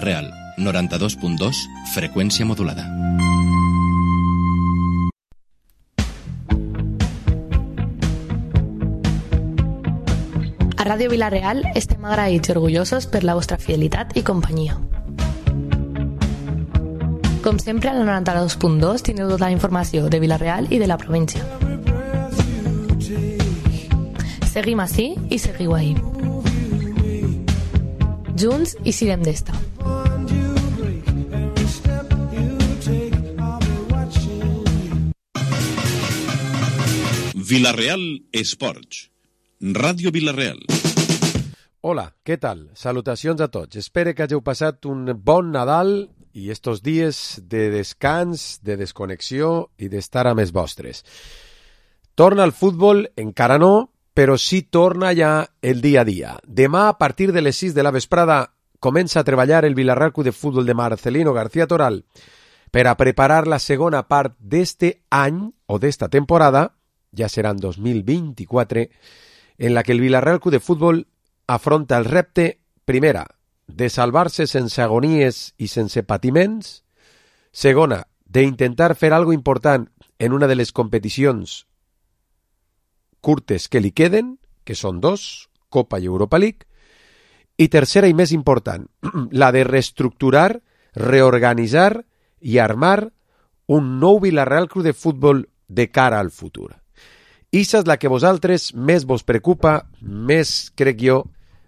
Real, 92.2, freqüència modulada. A Ràdio Vila-real estem agraïts i orgullosos per la vostra fidelitat i companyia. Com sempre, al 92.2 teniu tota la informació de Vila-real i de la província. Seguim ací i seguiu ahí. Junts i sirem d'esta. Vila-real Esports. Ràdio Vila-real. Hola, què tal? Salutacions a tots. Espero que hàgiu passat un bon Nadal i estos dies de descans, de desconnexió i d'estar amb els vostres. Torna al futbol, encara no, però sí torna ja el dia a dia. Demà, a partir de les 6 de la vesprada, comença a treballar el Vila-real Club de Futbol de Marcelino García Toral per a preparar la segona part d'este any o d'esta temporada, ja serà en 2024, en la que el Vila-real Club de Futbol afronta el repte, primera, de salvar-se sense agonies i sense patiments, segona, d'intentar fer algo important en una de les competicions curtes que li queden, que són dos, Copa i Europa League, i tercera i més important, la de reestructurar, reorganitzar i armar un nou Vila-real Club de Futbol de cara al futur. Issa és la que vosaltres més vos preocupa, més, crec jo,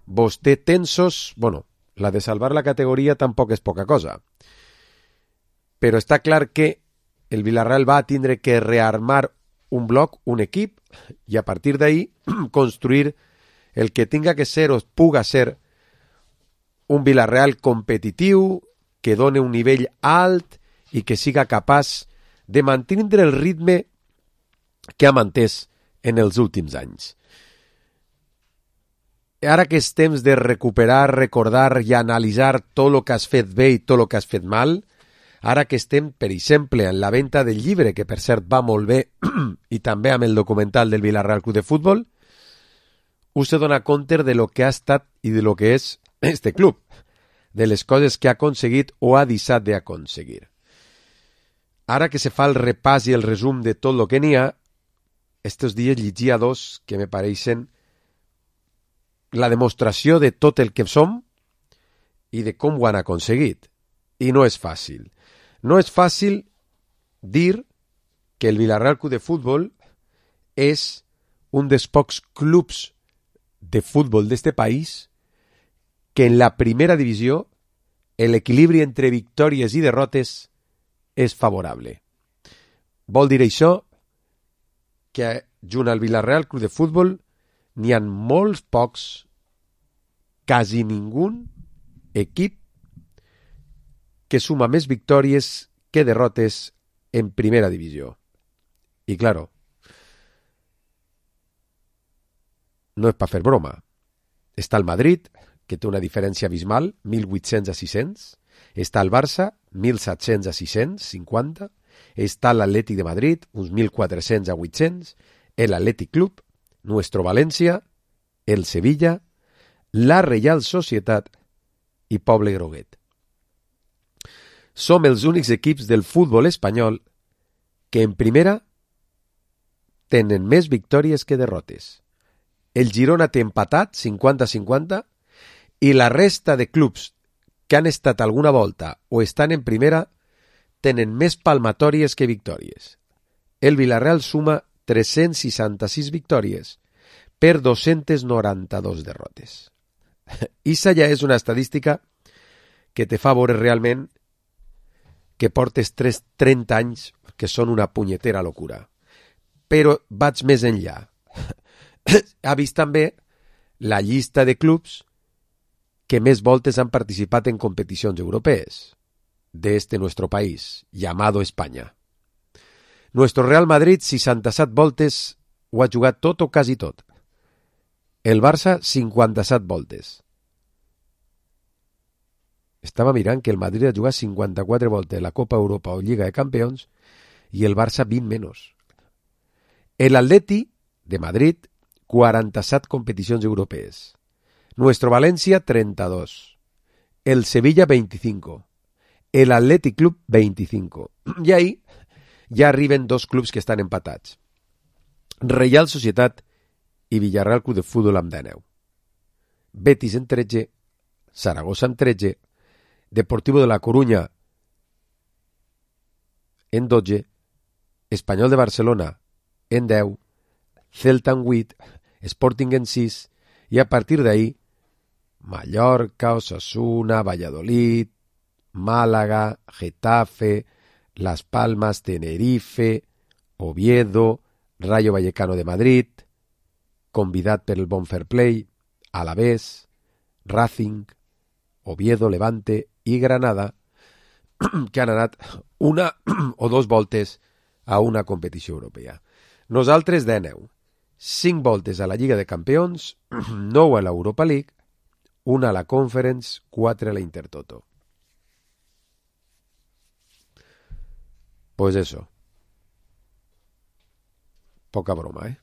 vos té tensos. Bueno, la de salvar la categoria tampoc és poca cosa. Però està clar que el Vila-real va tindre que rearmar un bloc, un equip, i a partir d'ahí construir el que tinga que ser o puga ser un Vila-real competitiu, que done un nivell alt i que siga capaç de mantenir el ritme que ha mantès en els últims anys. Ara que és temps de recuperar, recordar i analitzar tot el que has fet bé i tot el que has fet mal, ara que estem, per exemple, en la venda del llibre, que per cert va molt bé, i també amb el documental del Vila-real Club de Futbol, us se dona compte de lo que ha estat i de lo que és este club, de les coses que ha aconseguit o ha deixat d'aconseguir. Ara que se fa el repàs i el resum de tot el que n'hi ha, estos dies llegia dos que me pareixen la demostració de tot el que som i de com ho han aconseguit. I no és fàcil. No és fàcil dir que el Vila-real Club de Futbol és un dels pocs clubs de futbol d'este país que en la primera divisió l'equilibri entre victòries i derrotes és favorable. Vol dir això que junt al Vila-real Club de Futbol n'hi ha molts pocs, quasi ningú equip que suma més victòries que derrotes en primera divisió. I claro, no és per fer broma. Està el Madrid, que té una diferència abismal, 1.800 a 600. Està el Barça, 1.700 a 650. Està l'Atlètic de Madrid, uns 1.400 a 800. L'Atlètic Club, Nuestro València, el Sevilla, la Reial Societat i Poble Groguet. Som els únics equips del futbol espanyol que en primera tenen més victòries que derrotes. El Girona té empatat 50-50 i la resta de clubs que han estat alguna volta o estan en primera tenen més palmatòries que victòries. El Vila-real suma 366 victòries per 292 derrotes. Issa ja és una estadística que te fa veure realment que portes 30 anys que són una punyetera locura. Però vaig més enllà. Ha vist també la llista de clubs que més voltes han participat en competicions europees de nuestro país, llamado España. Nuestro Real Madrid, 67 voltes, ho ha jugat tot o quasi tot. El Barça, 57 voltes. Estava mirant que el Madrid ha jugat 54 voltes la Copa Europa o Lliga de Campions i el Barça 20 menys. El Atleti de Madrid, 47 competicions europees. Nuestro València, 32. el Sevilla 25, el Athletic Club 25. I ahí ja arriben dos clubs que estan empatats. Reial Societat i Villarreal Club de Futbol amb 19. Betis en 13, Saragossa amb 13, Deportivo de la Coruña en 12, Espanyol de Barcelona en 10, Celta en 8, Sporting en 6, i a partir d'ahí Mallorca, Osasuna, Valladolid, Málaga, Getafe, Las Palmas, Tenerife, Oviedo, Rayo Vallecano de Madrid, convidat per el bon fair play, Alavés, Racing, Oviedo, Levante i Granada, que han anat una o dos voltes a una competició europea. Nosaltres 19, 5 voltes a la Lliga de Campions, 9 a l'Europa League, 1 a la Conference, 4 a la Intertoto. Pues eso. Poca broma, eh?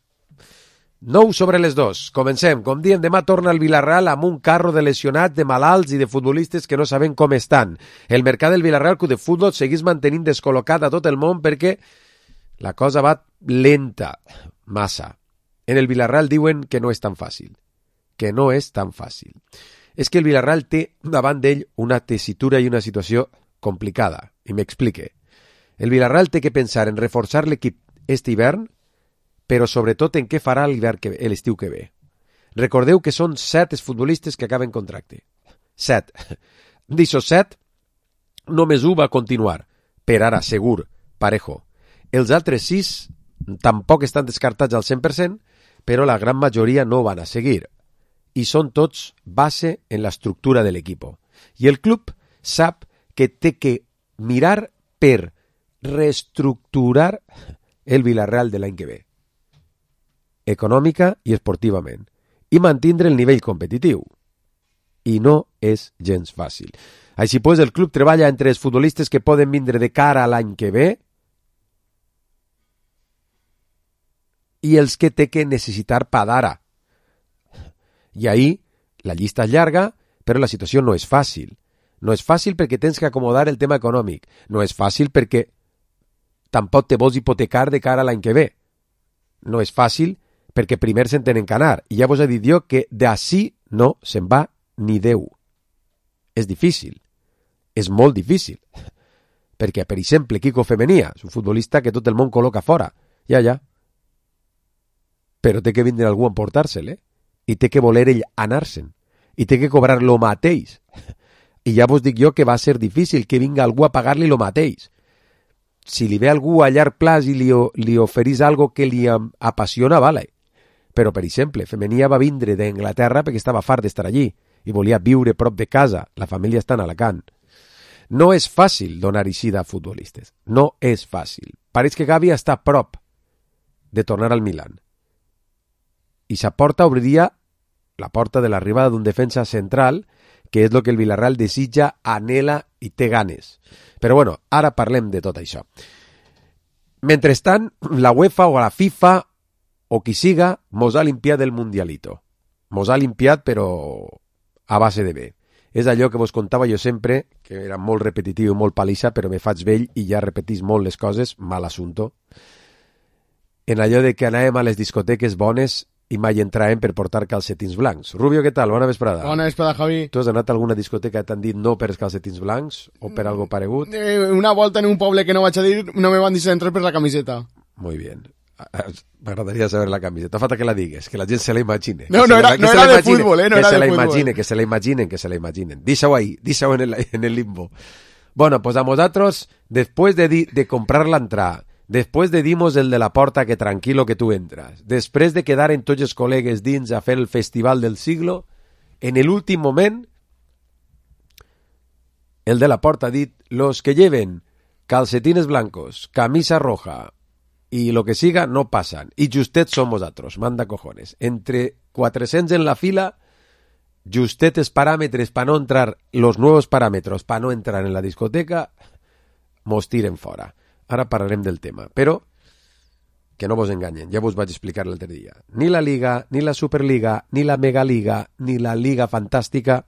9 sobre les 2. Comencem. Com diem, demà torna el Villarreal amb un carro de lesionats, de malalts i de futbolistes que no sabem com estan. El mercat del Villarreal Club de Futbol segueix mantenint descol·locat a tot el món perquè la cosa va lenta, massa. En el Villarreal diuen que no és tan fàcil. Que no és tan fàcil. És que el Villarreal té davant d'ell una tessitura i una situació complicada. I m'explique. El Villarreal té que pensar en reforçar l'equip este hivern, però sobretot en què farà l'estiu que ve. Recordeu que són 7 els futbolistes que acaben contracte. 7. D'aixòs 7, només 1 va continuar. Per ara, segur, parejo. Els altres 6 tampoc estan descartats al 100%, però la gran majoria no van a seguir. I són tots base en l'estructura de l'equip. I el club sap que té que mirar per reestructurar el Villarreal de l'any que ve, econòmica i esportivament, i mantindre el nivell competitiu. I no és gens fàcil. Així pues, el club treballa entre els futbolistes que poden vindre de cara a l'any que ve i els que té que necessitar pa d'ara. I ahí la llista és llarga, però la situació no és fàcil. No és fàcil perquè tens que acomodar el tema econòmic. No és fàcil perquè tampoc te vols hipotecar de cara a l'any que ve. No és fàcil perquè primer se'n tenen que anar. I ja vos he dit jo que d'ací no se'n va ni Déu. És difícil. És molt difícil. Perquè, per exemple, Kiko Femenia és un futbolista que tot el món col·loca fora. Ja. Però té que vindre algú a emportar-se'l, i té que voler ell anar-se'n. I té que cobrar lo mateix. I ja vos dic jo que va ser difícil que vinga algú a pagar-li lo mateix. Si li ve algú a llarg plaç i li oferís algo que li apassiona, vale. Però, per exemple, Femenia va vindre d'Anglaterra perquè estava fart d'estar allí i volia viure prop de casa. La família està en Alacant. No és fàcil donar eixida a futbolistes. No és fàcil. Pareix que Gavi està a prop de tornar al Milan. I sa porta obriria la porta de l'arribada d'un defensa central, que és el que el Villarreal desitja, anhela i té ganes. Però bueno, ara parlem de tot això. Mentrestant, la UEFA o la FIFA o qui siga mos ha limpiat el Mundialito. Mos ha limpiat, però a base de bé. És allò que vos contava jo sempre, que era molt repetitiu i molt palissa, però me faig vell i ja repetís molt les coses, mal assunto. En allò de que anàvem a les discoteques bones i mai entràvem per portar calcetins blancs. Rubio, què tal? Bona vesprada. Bona vesprada, Javi. Tu has anat a alguna discoteca i t'han dit no per els calcetins blancs o per algo paregut? Una volta en un poble que no vaig a dir, no me van deixar entrar per la camiseta. Muy bien. M'agradaria saber la camiseta. Falta que la digues, que la gent se la imagine. No era de fútbol, no era de fútbol. Que se la imaginen. Deixa-ho ahí, deixa-ho en el limbo. Bueno, pues a vosotros, después de comprar la entrada, després de dimos el de la porta que tranquilo que tu entras, després de quedar en tots els col·legues dins a fer el festival del siglo, en el últim moment, el de la porta ha dit, los que lleven calcetines blancos, camisa roja y lo que siga no pasan, y justet som vosaltres, manda cojones. Entre 400 en la fila, justet els paràmetres para no entrar, los nuevos parámetros para no entrar en la discoteca, mos tiren fora. Ara parlarem del tema, però que no vos enganyen, ja vos vaig explicar l'altre dia. Ni la Liga, ni la Superliga, ni la Megaliga, ni la Liga Fantàstica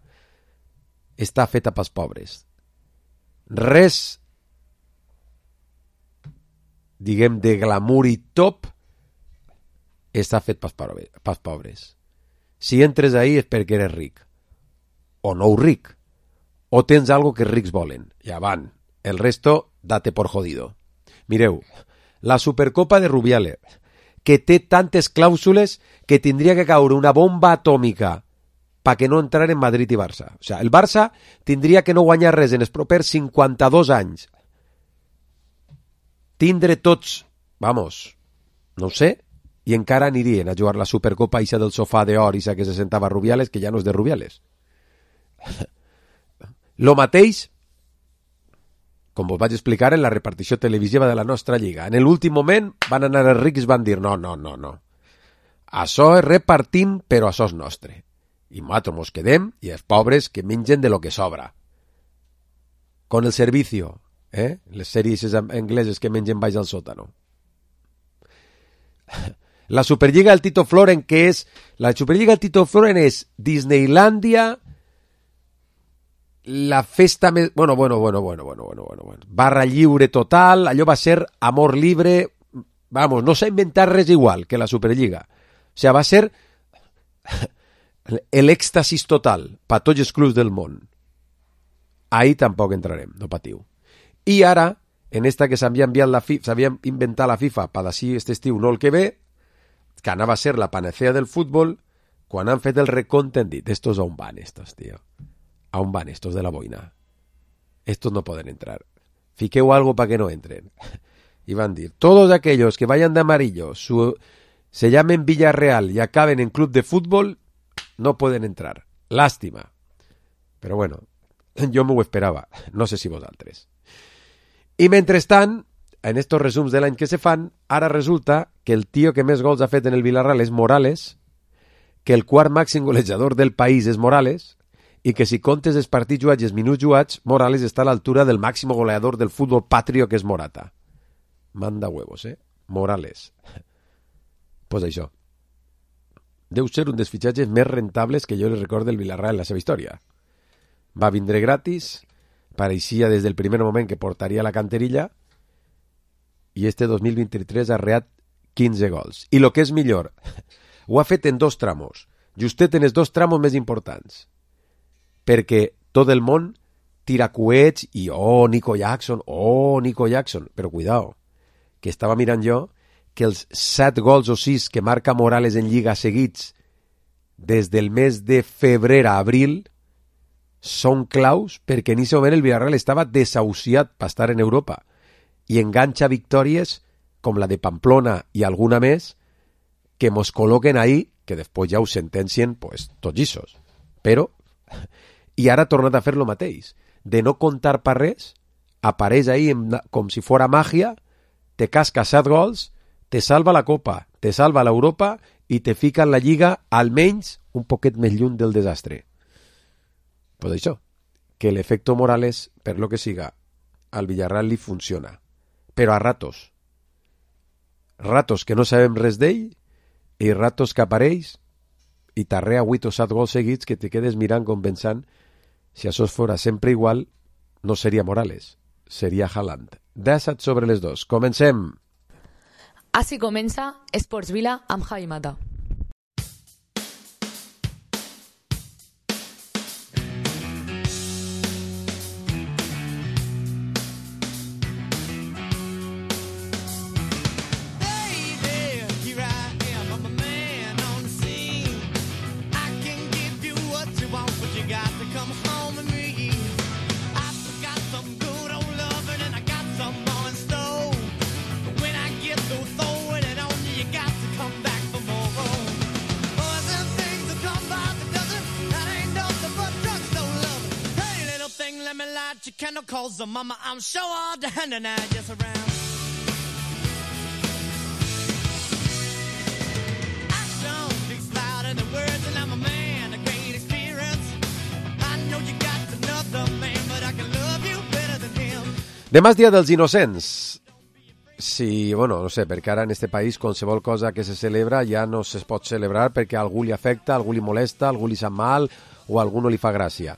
està feta pels pobres. Res, diguem, de glamour i top està fet pels pobres. Si entres ahí és perquè eres ric, o no ric, o tens algo que els rics volen. Ja van, el resto date por jodido. Mireu, la Supercopa de Rubiales, que té tantes clàusules que tindria que caure una bomba atòmica perquè no entraren Madrid i Barça. O sigui, el Barça tindria que no guanyar res en els propers 52 anys. Tindre tots, vamos, no ho sé, i encara anirien a jugar la Supercopa ixa del sofà d'or ixa que se sentava Rubiales, que ja no és de Rubiales. Lo mateix, com vos vaig explicar en la repartició televisiva de la nostra lliga. En l'últim moment van anar els rics i van dir no. Això és repartim, però això és nostre. I nosaltres mos quedem i els pobres que mengen de lo que sobra. Con el servicio, les sèries angleses que mengen baix al sòtano. La Superliga del Tito Floren, que és... La Superliga del Tito Floren és Disneylandia, la festa més... Bueno. Barra lliure total, allò va ser amor libre... Vamos, no s'ha inventat res igual que la Superliga. O sigui, va ser l'èxtasis total per tots els clubs del món. Ahí tampoc entrarem, no patiu. I ara, en esta que s'havia inventat la FIFA per d'ací aquest estiu, no el que ve, que anava a ser la panacea del futbol, quan han fet el recompte han dit, estos on van estos, tío. ¿A un van estos de la boina? Estos no pueden entrar. Fiqueu algo para que no entren. Y van a decir, todos aquellos que vayan de amarillo, se llamen Villarreal y acaben en club de fútbol, no pueden entrar. Lástima. Pero bueno, yo me ho esperaba. No sé si vosaltres. I mentrestant, en estos resums de l'any que se fan, ara resulta que el tio que més gols ha fet en el Villarreal és Morales, que el quart màxim golejador del país és Morales, i que si comptes els partits jugats i els minuts jugats, Morales està a l'altura del màxim goleador del futbol patrio, que és Morata. Manda huevos, Morales. Pues això. Deu ser un dels fitxatges més rentables que jo li recordo del Villarreal en la seva història. Va vindre gratis, pareixia des del primer moment que portaria la canterilla, i este 2023 ha reat 15 gols. I el que és millor, ho ha fet en 2 tramos. Justet en els 2 tramos més importants. Perquè tot el món tira coets i Nico Jackson, però cuidao, que estava mirant jo que els 7 gols o 6 que marca Morales en Lliga seguits des del mes de febrer a abril són claus perquè en aquest moment el Villarreal estava desahuciat per estar en Europa i enganxa victòries com la de Pamplona i alguna més que mos col·loquen ahí, que després ja ho sentencien pues, tots llissos. Però i ara ha tornat a fer lo mateix. De no comptar per res, apareix ahí com si fora màgia, te casca 7 gols, te salva la Copa, te salva l'Europa i te fica en la Lliga almenys un poquet més lluny del desastre. Pues això, que l'efecto Morales, per lo que siga, al Villarreal li funciona. Però a ratos. Ratos que no sabem res d'ell i ratos que apareix i t'arrea 8 o 7 gols seguits que te quedes mirant com pensant si això fora sempre igual no seria Morales, seria Haaland. 17 sobre les 2. Comencem. Així comença Esports Vila amb Javi Mata. Calls the mama, I'm sure all the hand and I just around. Action speaks louder than words, and I'm a man of great experience. I know you got another man, but I can love you better than him. Demà és Dia dels Innocents. Sí, bueno, no sé, perquè ara en este país qualsevol cosa que se celebra ja no se pot celebrar perquè a algú li afecta, a algú li molesta, a algú li sap mal o a algú no li fa gràcia.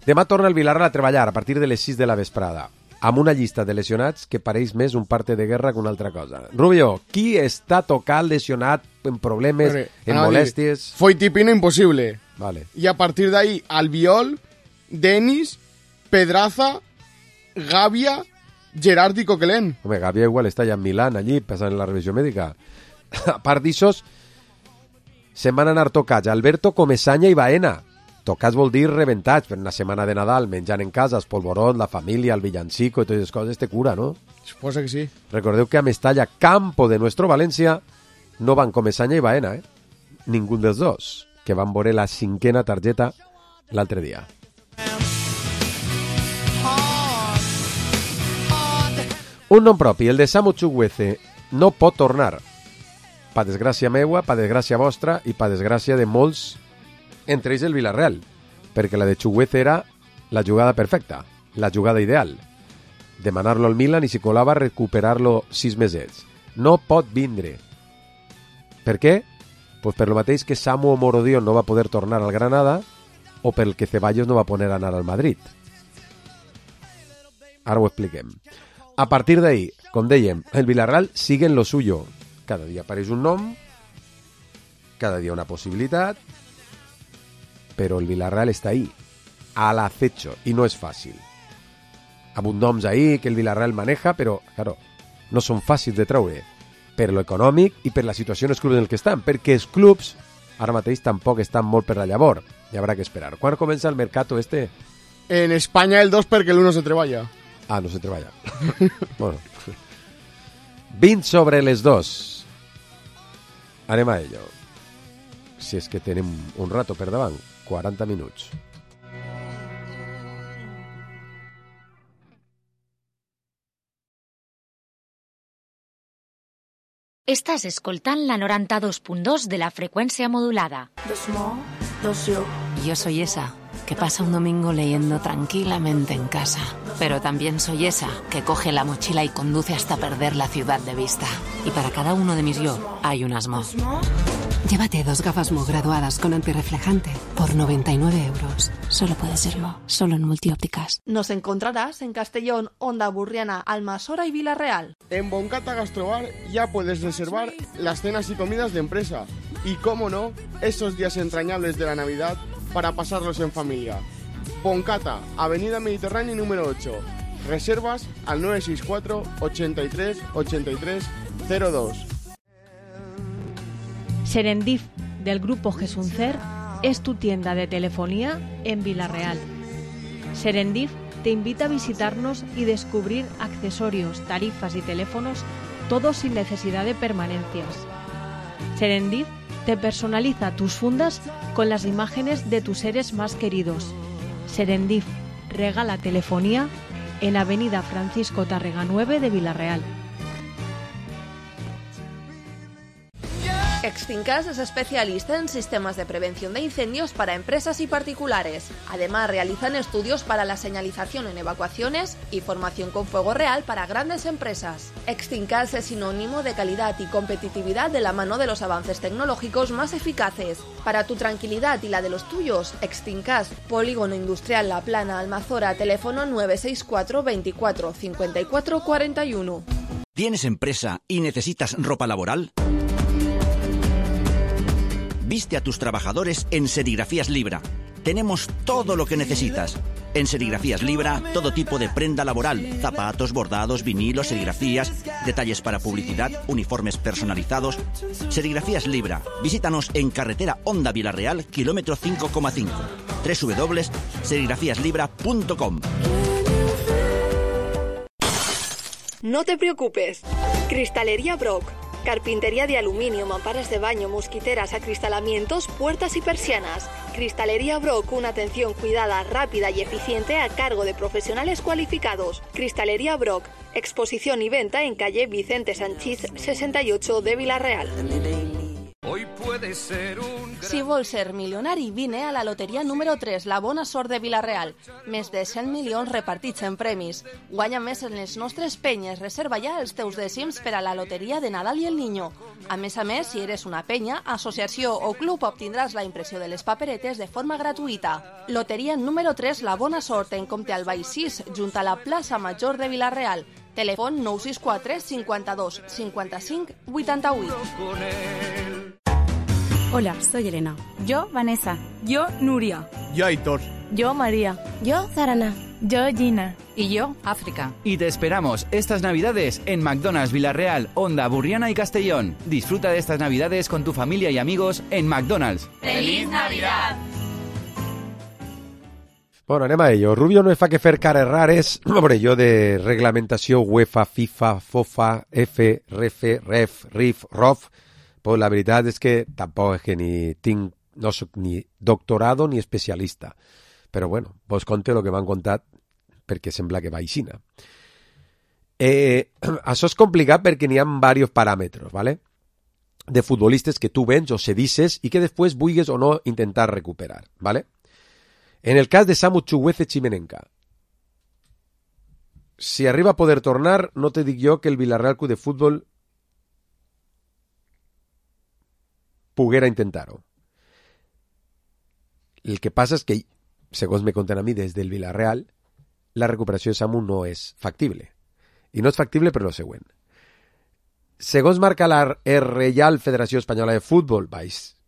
Demà torna el Vilarreal a treballar a partir de les 6 de la vesprada, amb una llista de lesionats que pareix més un parte de guerra que una altra cosa. Rubio, qui està tocat, lesionat, en problemes, en molèsties? Foyt i Pino, imposible. Vale. Y a partir de ahí, Albiol, Denis, Pedraza, Gavia, Gerard i Coquelin. Home, Gavia igual està ja en Milán, allí, passant la revisió mèdica. A part d'això, se'n van anar tocats Alberto, Comesaña i Baena. Tocats vol dir rebentats, per una setmana de Nadal, menjant en casa, el polvorot, la família, el villancico i totes les coses, te cura, no? Suposa que sí. Recordeu que a Mestalla, campo de nuestro València, no van Comesaña i Baena, Ningú dels dos, que van veure la 5ª targeta l'altre dia. Un nom propi, el de Samu Chukwueze, no pot tornar. Pa desgràcia meua, pa desgràcia vostra i pa desgràcia de molts, entre ells el Villarreal, perquè la de Chukwueze era la jugada perfecta, la jugada ideal. Demanar-lo al Milan i, si colava, recuperar-lo 6 mesets. No pot vindre. Per què? Pues per lo mateix que Samu Morodion no va poder tornar al Granada o pel que Ceballos no va poder anar al Madrid. Ara ho expliquem. A partir d'ahí, com dèiem, el Villarreal sigue en lo suyo. Cada dia apareix un nom, cada dia una possibilitat, però el Villarreal està ahí, al acecho, i no és fàcil. Amb uns noms ahí que el Villarreal maneja, però, claro, no són fàcils de treure, per lo econòmic i per la situació en els clubs en el que estan, perquè els clubs ara mateix tampoc estan molt per la llavor. Hi haurà que esperar. Quan comença el mercato este? En España el 2 perquè l'1 se treballa. Ah, no se treballa. Bueno. 20 sobre les 2. Anem a ello. Si és que tenim un rato per davant. 40 minuts. Estàs escoltant la 92.2 de la frecuencia modulada. Yo soy esa que pasa un domingo leyendo tranquilamente en casa. Pero también soy esa que coge la mochila y conduce hasta perder la ciudad de vista. Y para cada uno de mis yo hay un Asmo. Llévate 2 gafas Mo graduadas con antirreflejante por 99 euros. Solo puede ser Mo, solo en Multiópticas. Nos encontrarás en Castellón, Onda Burriana, Almasora y Villarreal. En Boncata Gastrobar ya puedes reservar las cenas y comidas de empresa. Y, cómo no, esos días entrañables de la Navidad para pasarlos en familia. Boncata, Avenida Mediterránea número 8. Reservas al 964 83 83 02. Serendip, del grupo Gesuncer, es tu tienda de telefonía en Villarreal. Serendip te invita a visitarnos y descubrir accesorios, tarifas y teléfonos, todos sin necesidad de permanencias. Serendip te personaliza tus fundas con las imágenes de tus seres más queridos. Serendip regala telefonía en Avenida Francisco Tárrega 9 de Villarreal. Extincas es especialista en sistemas de prevención de incendios para empresas y particulares. Además, realizan estudios para la señalización en evacuaciones y formación con fuego real para grandes empresas. Extincas es sinónimo de calidad y competitividad de la mano de los avances tecnológicos más eficaces. Para tu tranquilidad y la de los tuyos, Extincas, Polígono Industrial La Plana, Almazora, teléfono 964 24 54 41. ¿Tienes empresa y necesitas ropa laboral? Viste a tus trabajadores en Serigrafías Libra. Tenemos todo lo que necesitas. En Serigrafías Libra, todo tipo de prenda laboral, zapatos, bordados, vinilos, serigrafías, detalles para publicidad, uniformes personalizados. Serigrafías Libra. Visítanos en carretera Onda Villarreal, kilómetro 5,5. www.serigrafíaslibra.com. No te preocupes. Cristalería Brock. Carpintería de aluminio, mamparas de baño, mosquiteras, acristalamientos, puertas y persianas. Cristalería Brock, una atención cuidada, rápida y eficiente a cargo de profesionales cualificados. Cristalería Brock, exposición y venta en calle Vicente Sanchís 68 de Villarreal. Hoy puede Si vols ser milionari, vine a la loteria número 3, la bona sort de Vila-real. Més de 100 milions repartits en premis. Guanya més en les nostres penyes. Reserva ja els teus dècims per a la loteria de Nadal i el Niño. A més, si eres una penya, associació o club, obtindràs la impressió de les paperetes de forma gratuïta. Loteria número 3, la bona sort, en Comte Albay 6, junt a la plaça Major de Vila-real. Telèfon 964 52 55 88. Hola, soy Elena. Yo, Vanessa. Yo, Nuria. Yo, Aitor. Yo, María. Yo, Zarana. Yo, Gina. Y yo, África. Y te esperamos estas Navidades en McDonald's Villarreal, Onda, Burriana y Castellón. Disfruta de estas Navidades con tu familia y amigos en McDonald's. ¡Feliz Navidad! Bueno, anem a ello. Rubio no fa que fer cares rares, hombre, jo de reglamentació UEFA, FIFA, FOFA, F, REF, RIF, ROF, pues la veritat és que tampoc és que no soc ni doctorado ni especialista. Però bueno, vos conte el que m'han contat perquè sembla que va aixina. Això és complicat perquè n'hi ha diversos paràmetres, ¿vale? De futbolistes que tu vens o cedisses i que després vulguis o no intentar recuperar, ¿vale? En el cas de Samu Chukwueze Chimenenka, si arriba a poder tornar, no te dic jo que el Villarreal Club de Futbol poguera intentar-ho. El que passa és que, segons me conten a mi des del Villarreal, la recuperació de Samu no és factible. I no és factible per lo següent. Segons marca la Reial Federació Espanyola de Futbol,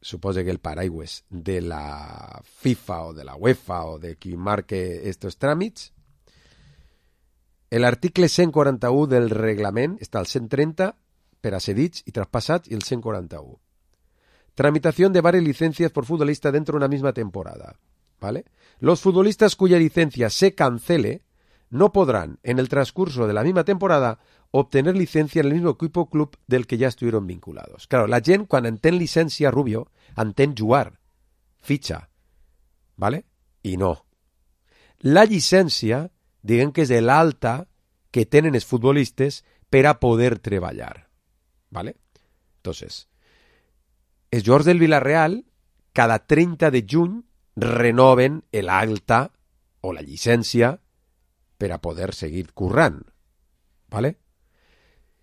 suposo que el paraigües de la FIFA o de la UEFA o de qui marque estos tràmits, l'article 141 del reglament està al 130 per a cedits i traspassats i el 141. Tramitación de varias licencias por futbolista dentro de una misma temporada, ¿vale? Los futbolistas cuya licencia se cancele no podrán, en el transcurso de la misma temporada, obtener licencia en el mismo equipo o club del que ya estuvieron vinculados. Claro, la gent, quan entén llicència, Rubio, entén jugar, fitxa, ¿vale? I no. La llicència, diguem que és de l'alta que tenen els futbolistes per a poder treballar, ¿vale? Entonces, els jugadors del Villarreal, cada 30 de juny, renoven l'alta o la llicència per a poder seguir currant, ¿vale?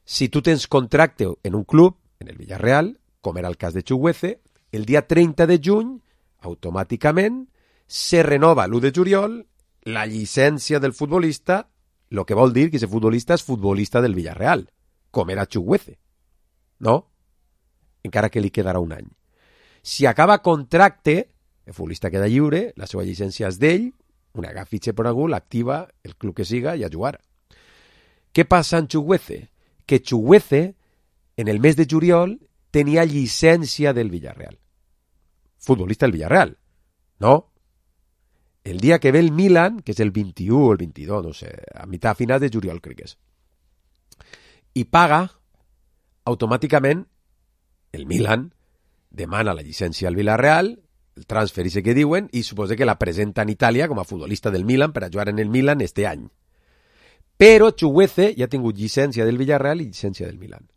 Si tu tens contracte en un club, en el Villarreal, com era el cas de Chukwueze, el dia 30 de juny, automàticament, se renova l'1 de juliol la llicència del futbolista, el que vol dir que aquest futbolista és futbolista del Villarreal, com era Chukwueze, no? Encara que li quedarà un any. Si acaba contracte, el futbolista queda lliure, la seva llicència és d'ell, una fitxa per algú, l'activa el club que siga i a jugar. Què passa en Chukwueze? Que Chukwueze, en el mes de juliol, tenia llicència del Villarreal. Futbolista del Villarreal, no? El dia que ve el Milan, que és el 21 o el 22, no sé, a mitjà final de juliol crec que és, i paga, automàticament, el Milan demana la llicència al Villarreal, el transfer que diuen, i suposa que la presenta en Itàlia com a futbolista del Milan per a jugar en el Milan este any. Però Chukwueze ja ha tingut llicència del Villarreal i llicència del Milan.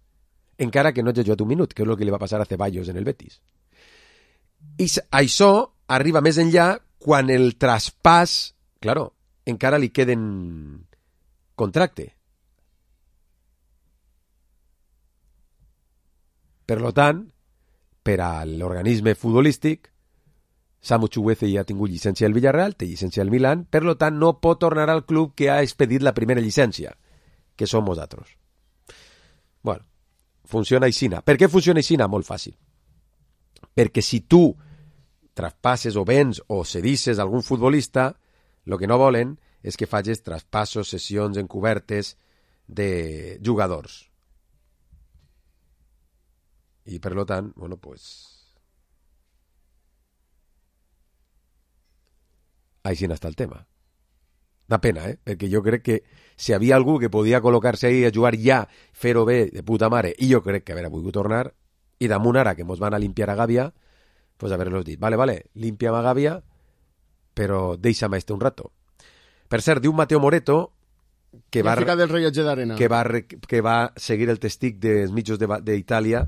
Encara que no hagi jugat un minut, que és el que li va passar a Ceballos en el Betis. I això arriba més enllà quan el traspàs, claro, encara li queden contracte. Per tant, per a l'organisme futbolístic, Samu Chukwueze ja ha tingut llicència del Villarreal, té llicència del Milan, per tant no pot tornar al club que ha expedit la primera llicència, que som nosaltres. Bueno, funciona aixina. Per què funciona aixina? Molt fàcil. Perquè si tu traspasses o vens o cedisses algun futbolista, el que no volen és que facis traspassos, sessions encobertes de jugadors. I per tant, bueno, pues així està el tema. Una pena, perquè jo crec que si hi havia algú que podia col·locar-se ahí a jugar ja, fer-ho bé, de puta mare, i jo crec que haver volgut tornar, i damunt ara que mos van a limpiar a Gàbia, pues haver-los dit, vale, limpia'm a Gàbia, però deixa'm un rato. Per cert, diu Mateo Moreto que del rellotge d'arena, que va seguir el testic dels mitjos d'Itàlia,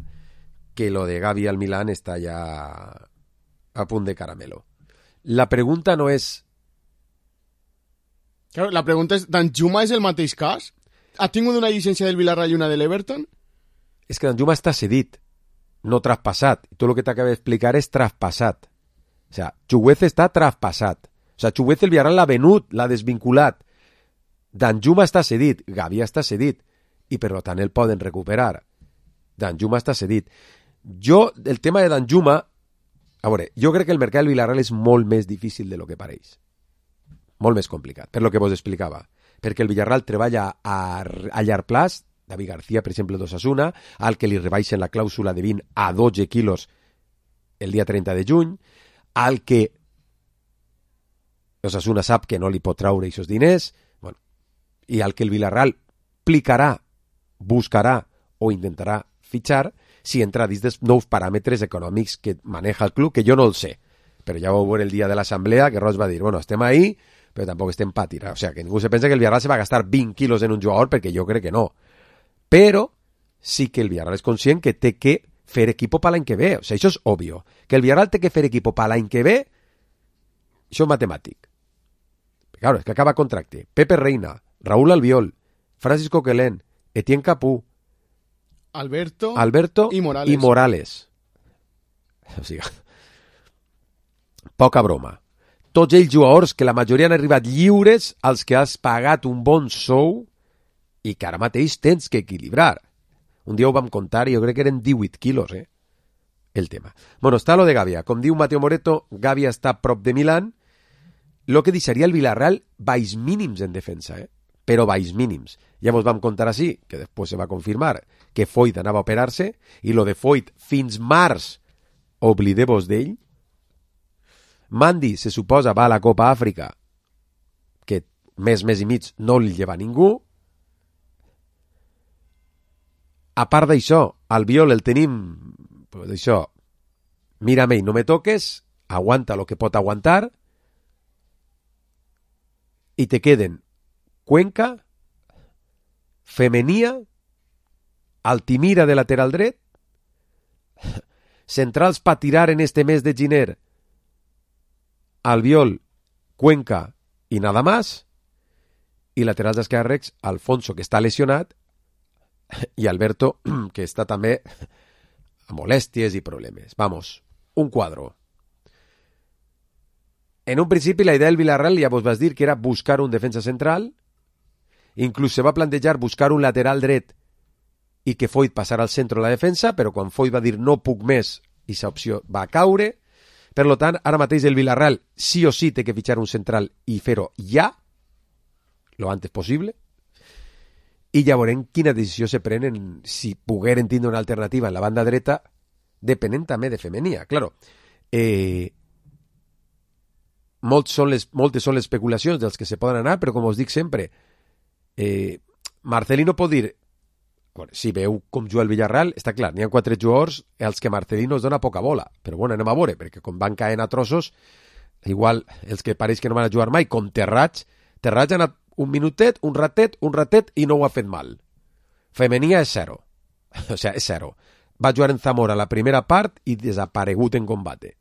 que lo de Gavi al Milán está ya a punt de caramelo. La pregunta no és... Claro, la pregunta és, Danjuma és el mateix cas? Ha tingut una llicència del Villarreal i una de l'Everton? És que Danjuma està cedit, no traspassat. I tot el que t'acabo d'explicar és traspassat. O sea, Chuguez està traspassat. O sea, Chuguez el Villarreal l'ha venut, l'ha desvinculat. Danjuma està cedit, Gavi està cedit, i per tant el poden recuperar. Danjuma està cedit. Jo, el tema de Danjuma, a veure, jo crec que el mercat del Villarreal és molt més difícil de lo que pareix. Molt més complicat, per lo que vos explicava. Perquè el Villarreal treballa a llarg plaç, David García, per exemple, d'Osasuna, al que li rebaixen la clàusula de 20 a 12 quilos el dia 30 de juny, al que Osasuna sap que no li pot traure aquests diners, bueno, i al que el Villarreal plicarà, buscarà o intentarà fitxar si entra dins dels nous paràmetres econòmics que maneja el club, que jo no el sé. Però ja ho veuré el dia de l'assemblea, que Roig va dir, bueno, estem ahí, però tampoc estem pa tirar. O sea, que ningú se pensa que el Villarreal se va a gastar 20 quilos en un jugador, perquè jo crec que no. Però sí que el Villarreal és conscient que té que fer equipo per l'any que ve. O sea, això és obvio. Que el Villarreal té que fer equipo per l'any que ve, això és matemàtic. Claro, és que acaba contracte. Pepe Reina, Raúl Albiol, Francis Coquelin, Etienne Capú, Alberto i Morales. O sigui, poca broma. Tots ells jugadors que la majoria han arribat lliures, als que has pagat un bon sou i que ara mateix tens que equilibrar. Un dia ho vam contar i jo crec que eren 18 quilos, el tema. Bueno, està lo de Gavia. Com diu Mateo Moreto, Gavia està a prop de Milán, lo que deixaria el Villarreal baix mínims en defensa, però baix mínims. Ja vos vam contar així, que després se va confirmar, que Foyt anava a operar-se, i lo de Foyt fins març, oblideu-vos d'ell. Mandi, se suposa, va a la Copa Àfrica, que mes i mig no li lleva ningú. A part d'això, Albiol el tenim, pues això, mírame i no me toques, aguanta lo que pot aguantar, i te queden Cuenca, Femenia, Altimira de lateral dret, centrals pa tirar en este mes de gener, Albiol, Cuenca i nada más, i laterals esquerres, Alfonso, que està lesionat, i Alberto, que està també amb molèsties i problemes. Vamos, un quadro. En un principi la idea del Villarreal ja vos vas dir que era buscar un defensa central, inclús se va plantejar buscar un lateral dret i que Foyt passara al centre de la defensa, però quan Foyt va dir no puc més, i aquesta opció va caure. Per tant, ara mateix el Villarreal sí o sí té que fitxar un central i fer-ho ja, lo antes possible, i ja veurem quina decisió se prenen, si pogueren tindre una alternativa en la banda dreta, depenent també de Femenia. Claro, moltes són les especulacions dels que se poden anar, però com us dic sempre, Marcelino pot dir, bueno, si veu com juga el Villarreal, està clar, n'hi ha 4 jugadors als que Marcelino es dona poca bola, però bueno, anem a veure, perquè com van caent a trossos, igual els que pareix que no van a jugar mai, com Terrats ha anat un minutet, un ratet i no ho ha fet mal. Femenia és 0. O sea, és 0. Va jugar en Zamora la primera part i desaparegut en combate.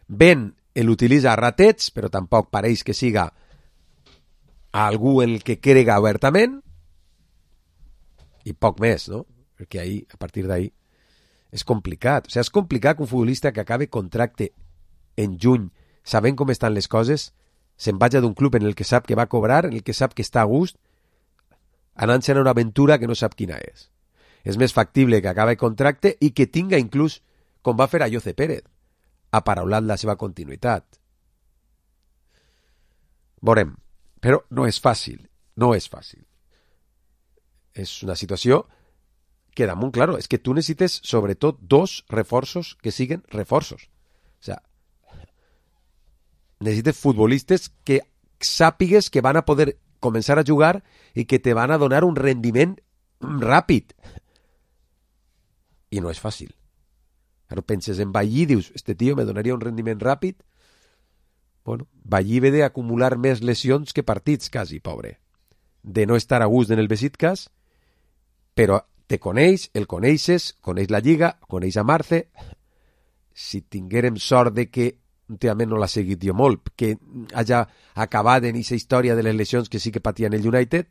Ben l'utilitza a ratets, però tampoc pareix que siga algú en el que crega obertament, i poc més, no? Perquè ahí, a partir d'ahí és complicat. O sigui, és complicat que un futbolista que acabe contracte en juny, sabent com estan les coses, se'n vaja d'un club en el que sap que va cobrar, en el que sap que està a gust, anant-se'n a una aventura que no sap quina és. És més factible que acabi contracte i que tinga inclús, com va fer a Jose Pérez, aparaulat la seva continuïtat. Veurem, però no és fàcil, no és fàcil. És una situació que damunt, claro, és que tu necessites sobretot 2 reforços que siguen reforços. O sea, necessites futbolistes que sàpigues que van a poder començar a jugar i que te van a donar un rendiment ràpid. I no és fàcil. Ara penses en Ballí i dius, este tio me donaria un rendiment ràpid. Bueno, Ballí ve d'acumular més lesions que partits, quasi, pobre. De no estar a gust en el Besiktas, però te coneix, el coneixes, coneix la Lliga, coneix a Marce. Si tinguérem sort de que últimament no l'ha seguit jo molt, que hagi acabat en aquesta història de les lesions que sí que patia en el United,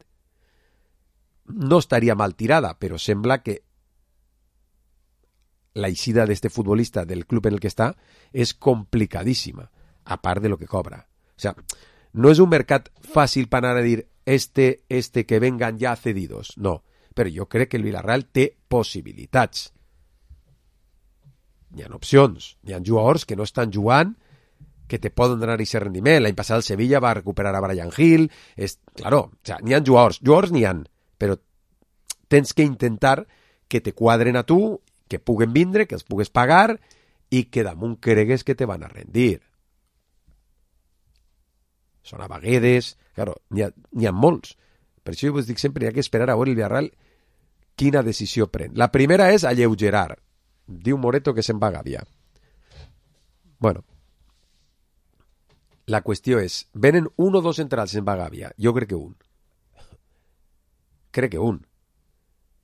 no estaria mal tirada, però sembla que la eixida d'este futbolista del club en el que està és complicadíssima, a part de lo que cobra. O sea, no és un mercat fàcil per anar a dir este que vengan ja cedidos, no, però jo crec que el Villarreal té possibilitats. Hi ha opcions, hi ha jugadors que no estan jugant, que te poden donar aquest rendiment. L'any passat el Sevilla va recuperar a Brian Hill. Claro, o sea, n'hi ha jugadors n'hi ha, però tens que intentar que te quadren a tu, que puguen vindre, que els pugues pagar i que damunt cregues que te van a rendir. Són a vegades, claro, n'hi ha molts. Per això jo us dic sempre, hi ha que esperar a veure el Villarreal quina decisió pren. La primera és alleugerar. Diu Moreto que se'n va a Gàbia. Bueno, la qüestió és, venen un o dos centrals en Gàbia? Jo crec que un. Crec que un.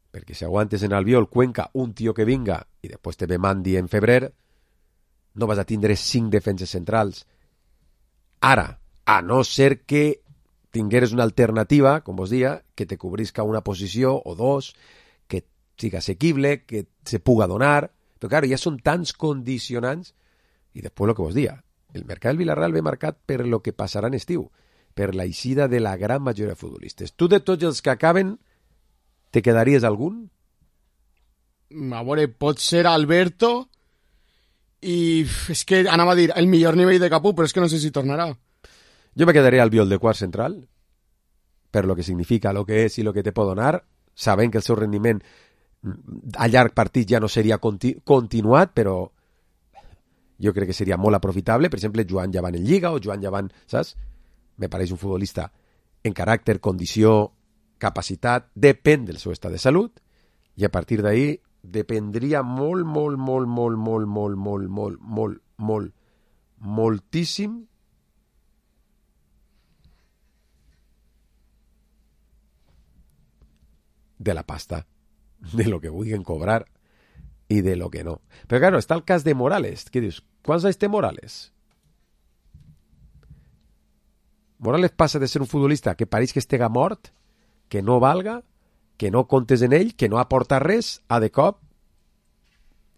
Perquè si aguantes en Albiol, Cuenca, un tio que vinga, i després te ve Mandi en febrer, no vas a tindre 5 defenses centrals. Ara, a no ser que tingueres una alternativa, com vos dia, que te cobrisca una posició o dos, que siga assequible, que se puga donar, però claro, ja són tants condicionants, i després el que vos dia, el mercat del Villarreal ve marcat per lo que passarà en estiu, per la eixida de la gran majoria de futbolistes. Tu de tots els que acaben, te quedaries algun? A veure, pot ser Alberto i és que anava a dir el millor nivell de Capú, però és que no sé si tornarà. Jo me quedaria al Albiol de quart central, per lo que significa, lo que és i lo que te pot donar, sabent que el seu rendiment a llarg partit ja no seria continuat, però jo crec que seria molt aprofitable. Per exemple, Joan Llevant en Lliga o Joan Llevant, saps? Me pareix un futbolista en caràcter, condició, capacitat, depèn del seu estat de salut, i a partir d'ahí dependria moltíssim de la pasta, de lo que vulguin cobrar i de lo que no. Però claro, està el cas de Morales. Què dius? Quants anys té Morales? Morales passa de ser un futbolista que pareix que estega mort, que no valga, que no comptes en ell, que no aporta res, a de cop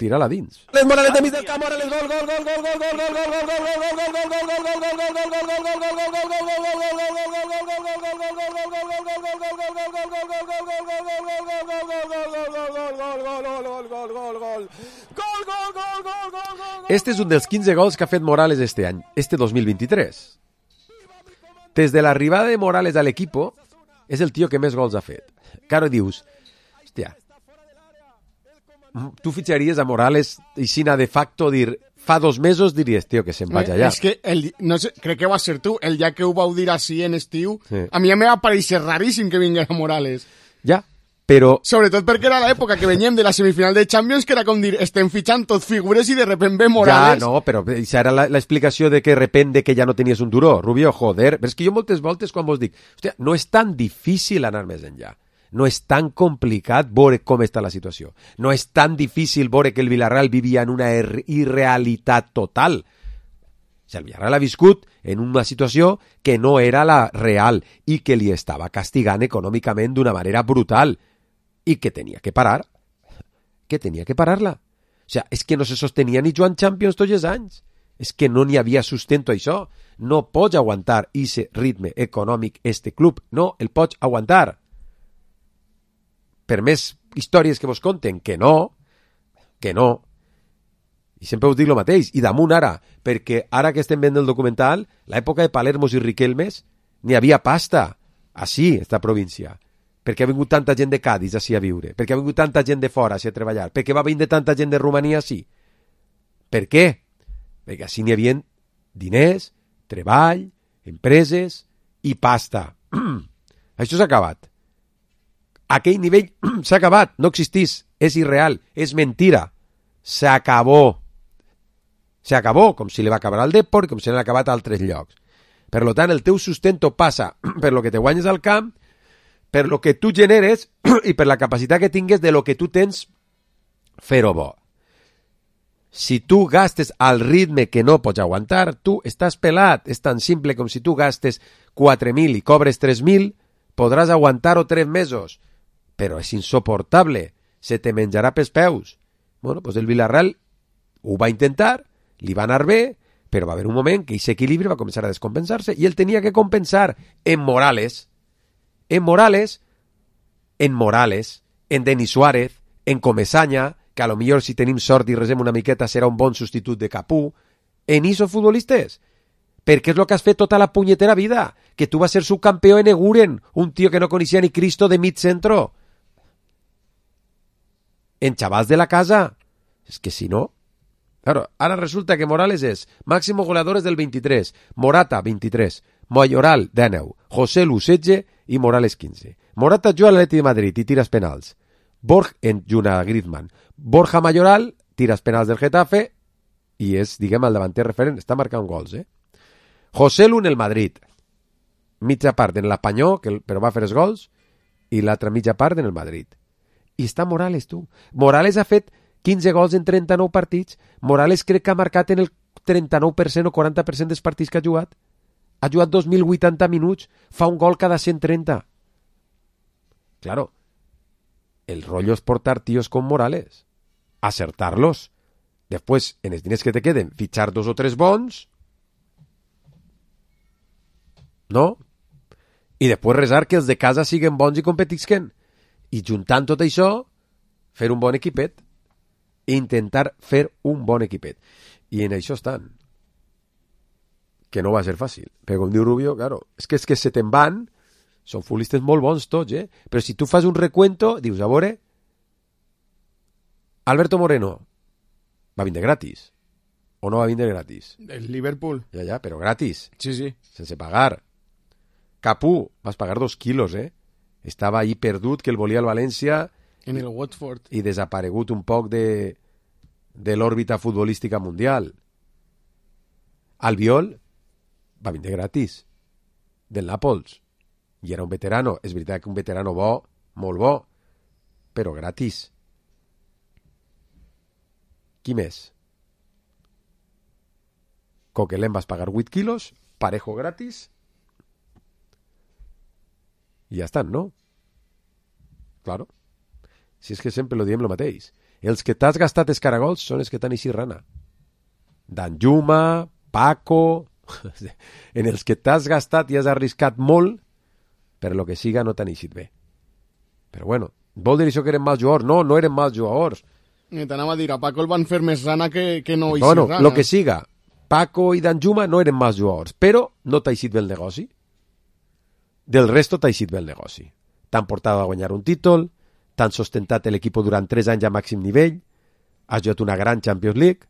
tirar-la dins. Les Morales de mig del camp, Morales, gol, gol, gol, gol, gol, gol, gol, gol, gol, gol, gol, gol, gol, gol, gol, gol, Este és un dels 15 gols que ha fet Morales este any, este 2023. Des de l'arribada de Morales a l'equipo, és el tio que més gols ha fet. Claro, dius, hòstia, tu fitxaries a Morales i sina de facto dir, fa 2 mesos diries, tio, que se'n vaig allà. És que, no sé, crec que va ser tu, el dia que ho vau dir així en estiu, sí. A mi em va pareixer raríssim que vingués a Morales. Ja, però... Sobretot perquè era l'època que veníem de la semifinal de Champions, que era com dir, estem fitxant tot figures i de repente ve Morales... Ja, no, però això era l'explicació de que de repente que ja no tenies un duró. Rubio, joder, però és que jo moltes voltes quan vos dic, hòstia, no és tan difícil anar més enllà. No és tan complicat veure com està la situació. No és tan difícil veure que el Villarreal vivia en una irrealitat total. O sigui, el Villarreal ha viscut en una situació que no era la real i que li estava castigant econòmicament d'una manera brutal i que tenia que parar. Que tenia que parar-la. O sigui, és que no se sostenia ni jugant Champions tots els anys. És que no n'hi havia sustento a això. No pots aguantar aquest ritme econòmic este club. No el pots aguantar. Per més històries que vos conten, que no, i sempre us dic el mateix, i damunt ara, perquè ara que estem veient el documental, l'època de Palermos i Riquelmes, n'hi havia pasta, així, esta província, perquè ha vingut tanta gent de Cádiz així a viure, perquè ha vingut tanta gent de fora així a treballar, perquè va venir tanta gent de Romania així. Per què? Perquè així n'hi havia diners, treball, empreses i pasta. Això s'ha acabat. Aquell nivell s'ha acabat, no existís, és irreal, és mentira, s'acabó. S'acabó, com si li va acabar al Depor, com si l'han acabat a altres llocs. Per tant, el teu sustento passa per lo que te guanyes al camp, per lo que tu generes i per la capacitat que tingues de lo que tu tens fer-ho bo. Si tu gastes al ritme que no pots aguantar, tu estàs pelat. És tan simple com si tu gastes 4.000 i cobres 3.000, podràs aguantar-ho 3 mesos. Però és insoportable. Se te menjarà pels peus. Bueno, doncs el Villarreal ho va intentar, li va anar bé, però va haver un moment que aquest equilibri va començar a descompensar-se i ell tenia que compensar en Morales, en Denis Suárez, en Comesaña, que a lo millor si tenim sort i resem una miqueta serà un bon substitut de Capú, en esos futbolistes. Perquè és el que has fet tota la punyetera vida, que tu vas ser subcampeó en Eguren, un tío que no coneixia ni Cristo de mig centro. En chavals de la casa. És que si no... Claro, ara resulta que Morales és máximo goleadores del 23, Morata 23, Mayoral 19, José Lu 16 i Morales 15. Morata juga a l'Atleti de Madrid i tires penals. En Juna Griezmann. Borja Mayoral tires penals del Getafe i és, diguem, el davanter referent. Està marcant gols, José Lu en el Madrid. Mitja part en l'Apanyó, però va fer els gols, i l'altra mitja part en el Madrid. I està Morales, tu. Morales ha fet 15 gols en 39 partits. Morales crec que ha marcat en el 39% o 40% dels partits que ha jugat. Ha jugat 2.080 minuts. Fa un gol cada 130. Claro, el rollo es portar tíos con Morales. Acertarlos. Después, en els diners que te queden, fichar 2 o 3 bons. No? I després resar que els de casa siguen bons i competisquen. I juntant tot això, fer un bon equipet. Intentar fer un bon equipet. I en això estan. Que no va ser fàcil. Però com diu Rubio, claro, és que se te'n van, són futbolistes molt bons tots, Però si tu fas un recuento, dius, a veure, Alberto Moreno va vindre gratis. O no va vindre gratis? El Liverpool. Ja, però gratis. Sí. Sense pagar. Capú, vas pagar 2 quilos, Estava ahí perdut, que el volia el València... En el Watford. I desaparegut un poc de l'òrbita futbolística mundial. Albiol va vindre gratis. Del Nàpols. I era un veterano. És veritat que un veterano bo, molt bo, però gratis. Qui més? Coquelin vas pagar 8 quilos, Parejo gratis, i ja estan, no? Claro. Si és que sempre lo diem lo mateix. Els que t'has gastat escaragols són els que t'han eixit rana. Danjuma, Paco... En els que t'has gastat i has arriscat molt, per lo que siga no t'han eixit bé. Però bueno, vol dir això que eren mals jugadors? No eren mals jugadors. T'anava a dir, a Paco el van fer més rana que no eixir rana. Bueno, lo que siga. Paco i Danjuma no eren mals jugadors, però no t'ha eixit bé el negoci. Del resto t'ha eixit bé el negoci. T'han portat a guanyar un títol, t'han sustentat l'equip durant 3 anys a màxim nivell, has jugat una gran Champions League,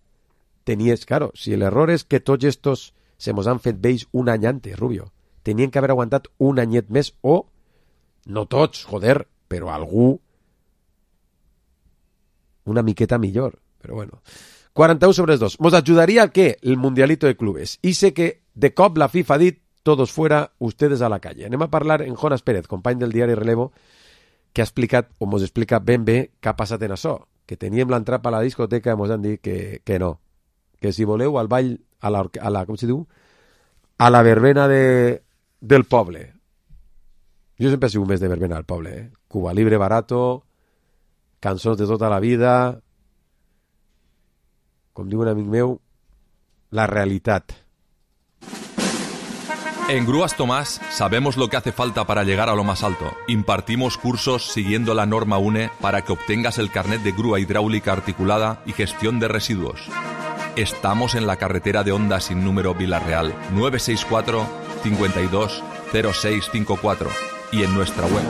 tenies, claro, si l'error és que tots estos se mos han fet vells un any antes, Rubio, tenien que haver aguantat un anyet més o, no tots, joder, però algú una miqueta millor, però bueno. 41/2. ¿Mos ayudaría el qué? El mundialito de clubes. Y sé que de cop la FIFA ha dit todos fuera, ustedes a la calle. Anem a parlar en Jonas Pérez, company del diari Relevo, que ha explicat, o mos explica ben bé què ha passat en això. Que teníem l'entrada a la discoteca i mos han dit que no. Que si voleu al ball, a la com se diu? A la verbena del poble. Jo sempre he sigut més de verbena al poble, Cuba Libre barato, cançons de tota la vida, com diu un amic meu, la realidad. En Grúas Tomás sabemos lo que hace falta para llegar a lo más alto. Impartimos cursos siguiendo la norma UNE para que obtengas el carnet de grúa hidráulica articulada y gestión de residuos. Estamos en la carretera de Honda sin número Villarreal, 964 52 0654 y en nuestra web.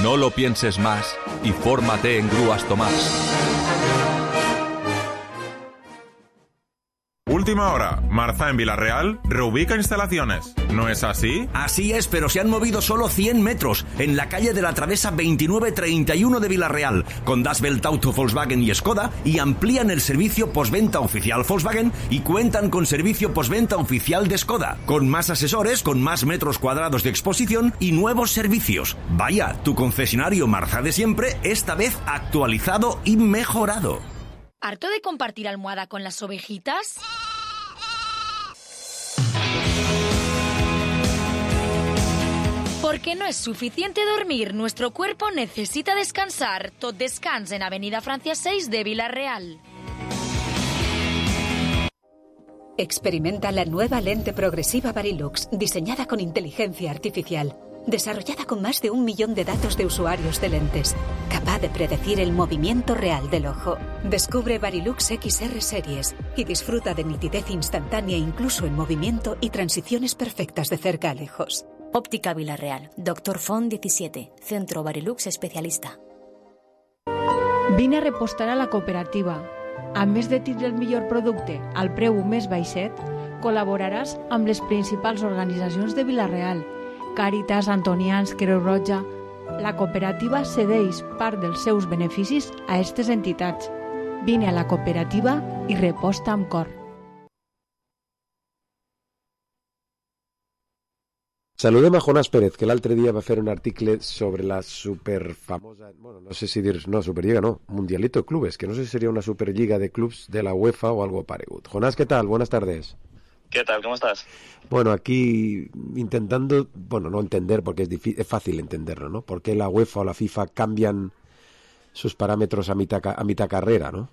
No lo pienses más y fórmate en Grúas Tomás. última hora, Marza en Villarreal reubica instalaciones. ¿No es así? Así es, pero se han movido solo 100 metros en la calle de la Travesa 2931 de Villarreal, con Das Welt Auto Volkswagen y Skoda, y amplían el servicio postventa oficial Volkswagen y cuentan con servicio postventa oficial de Skoda, con más asesores, con más metros cuadrados de exposición y nuevos servicios. Vaya, tu concesionario Marza de siempre, esta vez actualizado y mejorado. ¿Harto de compartir almohada con las ovejitas? Porque no es suficiente dormir, nuestro cuerpo necesita descansar. Tot Descans en Avenida Francia 6 de Villarreal. Experimenta la nueva lente progresiva Varilux, diseñada con inteligencia artificial. Desarrollada con más de 1 millón de datos de usuarios de lentes, capaz de predecir el movimiento real del ojo. Descubre Varilux XR Series y disfruta de nitidez instantánea incluso en movimiento y transiciones perfectas de cerca a lejos. Óptica Villarreal, Dr. Font 17, Centro Varilux Especialista. Vine a repostar a la cooperativa. A més de tindre el millor producte al preu més baixet, col·laboraràs amb les principals organitzacions de Villarreal, Càritas, Antonians, Creu Roja. La cooperativa cedeix part dels seus beneficis a aquestes entitats. Vine a la cooperativa i reposta amb cor. Saludem a Jonás Pérez, que l'altre dia va fer un article sobre la superfamosa, bueno, no sé si dir, no, Superliga no, Mundialito de Clubes, que no sé si sería una Superliga de clubs de la UEFA o algo paregut. Jonás, ¿qué tal? Buenas tardes. ¿Qué tal? ¿Cómo estás? Bueno, aquí intentando, bueno, no entender, porque es fácil entenderlo, ¿no? ¿Por qué la UEFA o la FIFA cambian sus parámetros a mitad carrera, ¿no?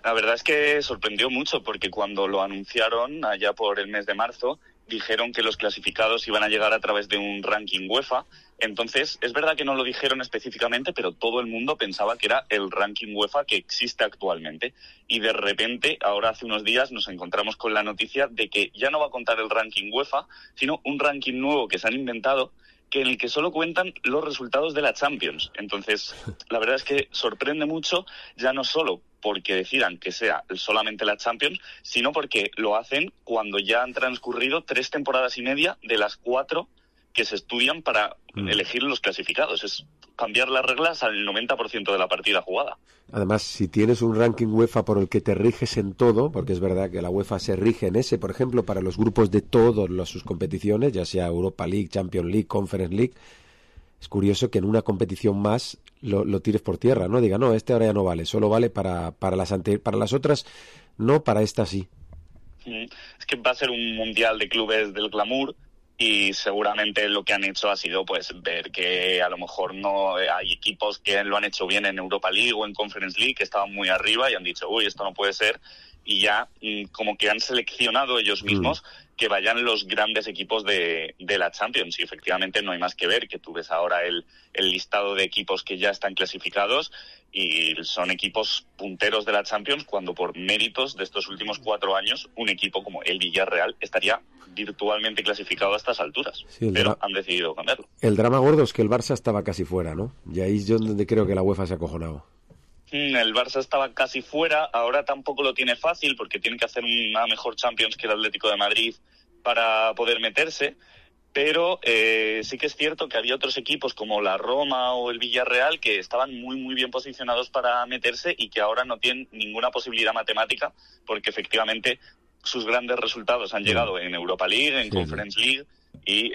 La verdad es que sorprendió mucho, porque cuando lo anunciaron allá por el mes de marzo, dijeron que los clasificados iban a llegar a través de un ranking UEFA. Entonces, es verdad que no lo dijeron específicamente, pero todo el mundo pensaba que era el ranking UEFA que existe actualmente. Y de repente, ahora hace unos días, nos encontramos con la noticia de que ya no va a contar el ranking UEFA, sino un ranking nuevo que se han inventado, que en el que solo cuentan los resultados de la Champions. Entonces, la verdad es que sorprende mucho, ya no solo porque decidan que sea solamente la Champions, sino porque lo hacen cuando ya han transcurrido 3 temporadas y media de las 4 que se estudian para elegir los clasificados. Es cambiar las reglas al 90% de la partida jugada. Además, si tienes un ranking UEFA por el que te riges en todo, porque es verdad que la UEFA se rige en ese, por ejemplo, para los grupos de todas sus competiciones, ya sea Europa League, Champions League, Conference League, es curioso que en una competición más lo tires por tierra, ¿no? Diga, no, este ahora ya no vale, solo vale para las otras, no, para esta sí. Es que va a ser un mundial de clubes del glamour, y seguramente lo que han hecho ha sido pues ver que a lo mejor no hay equipos que lo han hecho bien en Europa League o en Conference League, que estaban muy arriba y han dicho, uy, esto no puede ser, y ya como que han seleccionado ellos mismos que vayan los grandes equipos de la Champions. Y efectivamente no hay más que ver, que tú ves ahora el listado de equipos que ya están clasificados y son equipos punteros de la Champions, cuando por méritos de estos últimos 4 años un equipo como el Villarreal estaría virtualmente clasificado a estas alturas, sí, pero han decidido cambiarlo. El drama gordo es que el Barça estaba casi fuera, ¿no? Y ahí es donde creo que la UEFA se ha acojonado. El Barça estaba casi fuera, ahora tampoco lo tiene fácil porque tiene que hacer una mejor Champions que el Atlético de Madrid para poder meterse, pero sí que es cierto que había otros equipos como la Roma o el Villarreal que estaban muy muy bien posicionados para meterse y que ahora no tienen ninguna posibilidad matemática, porque efectivamente sus grandes resultados han llegado en Europa League, en Conference League, y